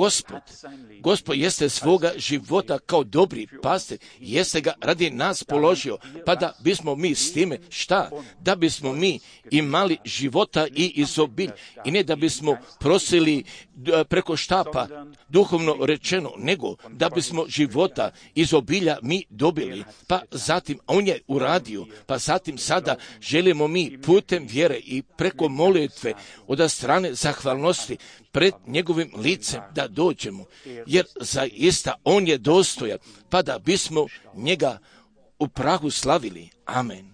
Gospod jeste svoga života kao dobri pastir, jeste ga radi nas položio, pa da bismo mi s time šta? Da bismo mi imali života i izobilj, i ne da bismo prosili preko štapa, duhovno rečeno, nego da bismo života izobilja mi dobili. Pa zatim on je uradio, pa zatim sada želimo mi putem vjere i preko molitve od strane zahvalnosti pred njegovim licem da dođemo, jer zaista on je dostojan, pa da bismo njega u prahu slavili. Amen.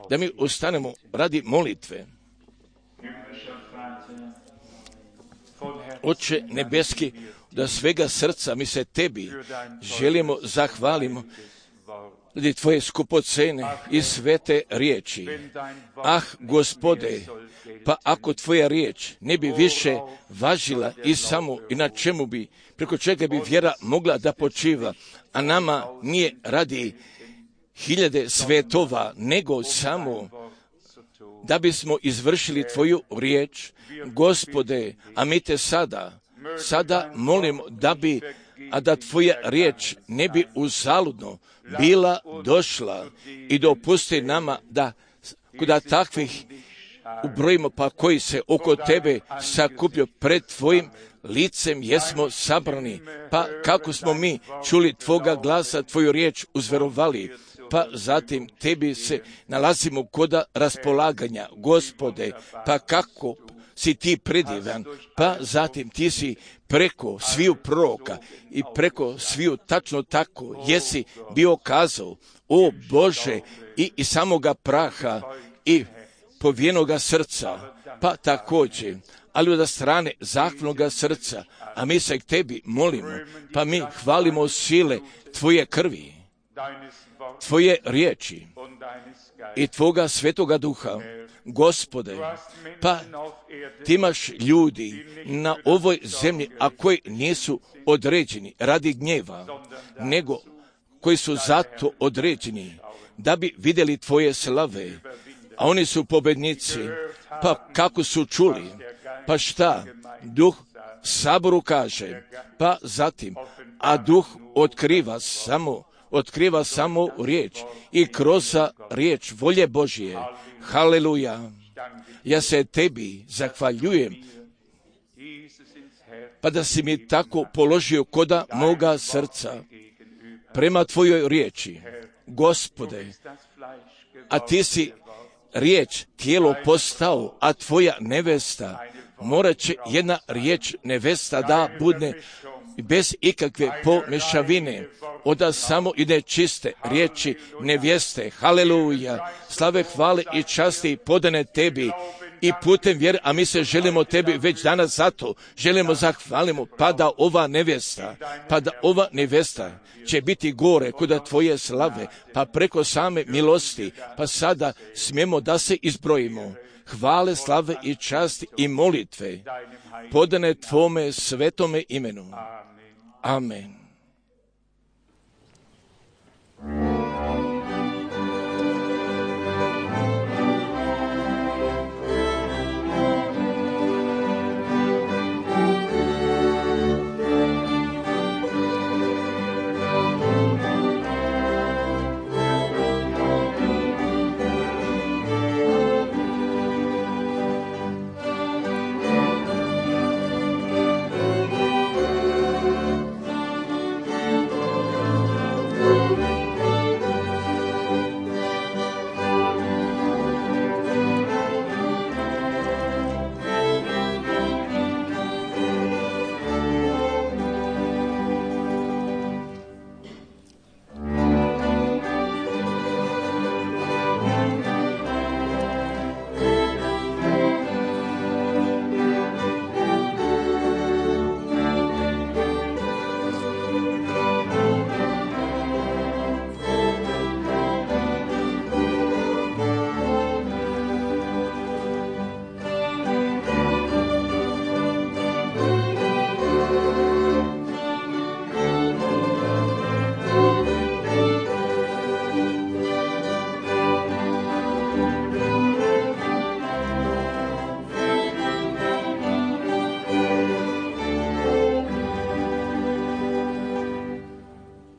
Da mi ustanemo radi molitve. Oče nebeski, da svega srca mi se tebi želimo zahvalimo radi tvoje skupocene i svete riječi. Gospode, pa ako tvoja riječ ne bi više važila i samo i na čemu bi, preko čega bi vjera mogla da počiva, a nama nije radi hiljade svetova, nego samo da bismo izvršili tvoju riječ, Gospode, a mi te sada molimo da tvoja riječ ne bi uzaludno bila došla, i dopusti nama da kuda takvih ubrojimo, pa koji se oko tebe sakupio pred tvojim licem jesmo sabrani, pa kako smo mi čuli tvoga glasa, tvoju riječ uzverovali, pa zatim tebi se nalazimo koda raspolaganja, Gospode, pa kako si ti predivan, pa zatim ti si preko sviju proroka i preko sviju tačno tako jesi bio kazao, o Bože, i samoga praha i povijenoga srca, pa također, ali od strane zahvalnoga srca, a mi se k tebi molimo, pa mi hvalimo sile tvoje krvi, tvoje riječi i tvoga svetoga duha, Gospode, pa ti imaš ljudi na ovoj zemlji, a koji nisu određeni radi gnjeva, nego koji su zato određeni da bi vidjeli tvoje slave, a oni su pobednici. Pa kako su čuli, pa šta duh saboru kaže, pa zatim, a duh otkriva samo riječ i kroz riječ volje Božje. Haleluja. Ja se tebi zahvaljujem, pa da si mi tako položio koda moga srca prema tvojoj riječi, Gospode, a ti si riječ tijelo postao, a tvoja nevesta, morat će jedna riječ nevesta da bude bez ikakve pomešavine, od samo i nečiste riječi nevjeste. Haleluja. Slave, hvale i časti podane tebi i putem vjere, a mi se želimo tebi već danas zato želimo zahvalimo, pa da ova nevesta će biti gore kod tvoje slave, pa preko same milosti, pa sada smijemo da se izbrojimo. Hvale, slave i časti i molitve podane tvome svetome imenu. Amen.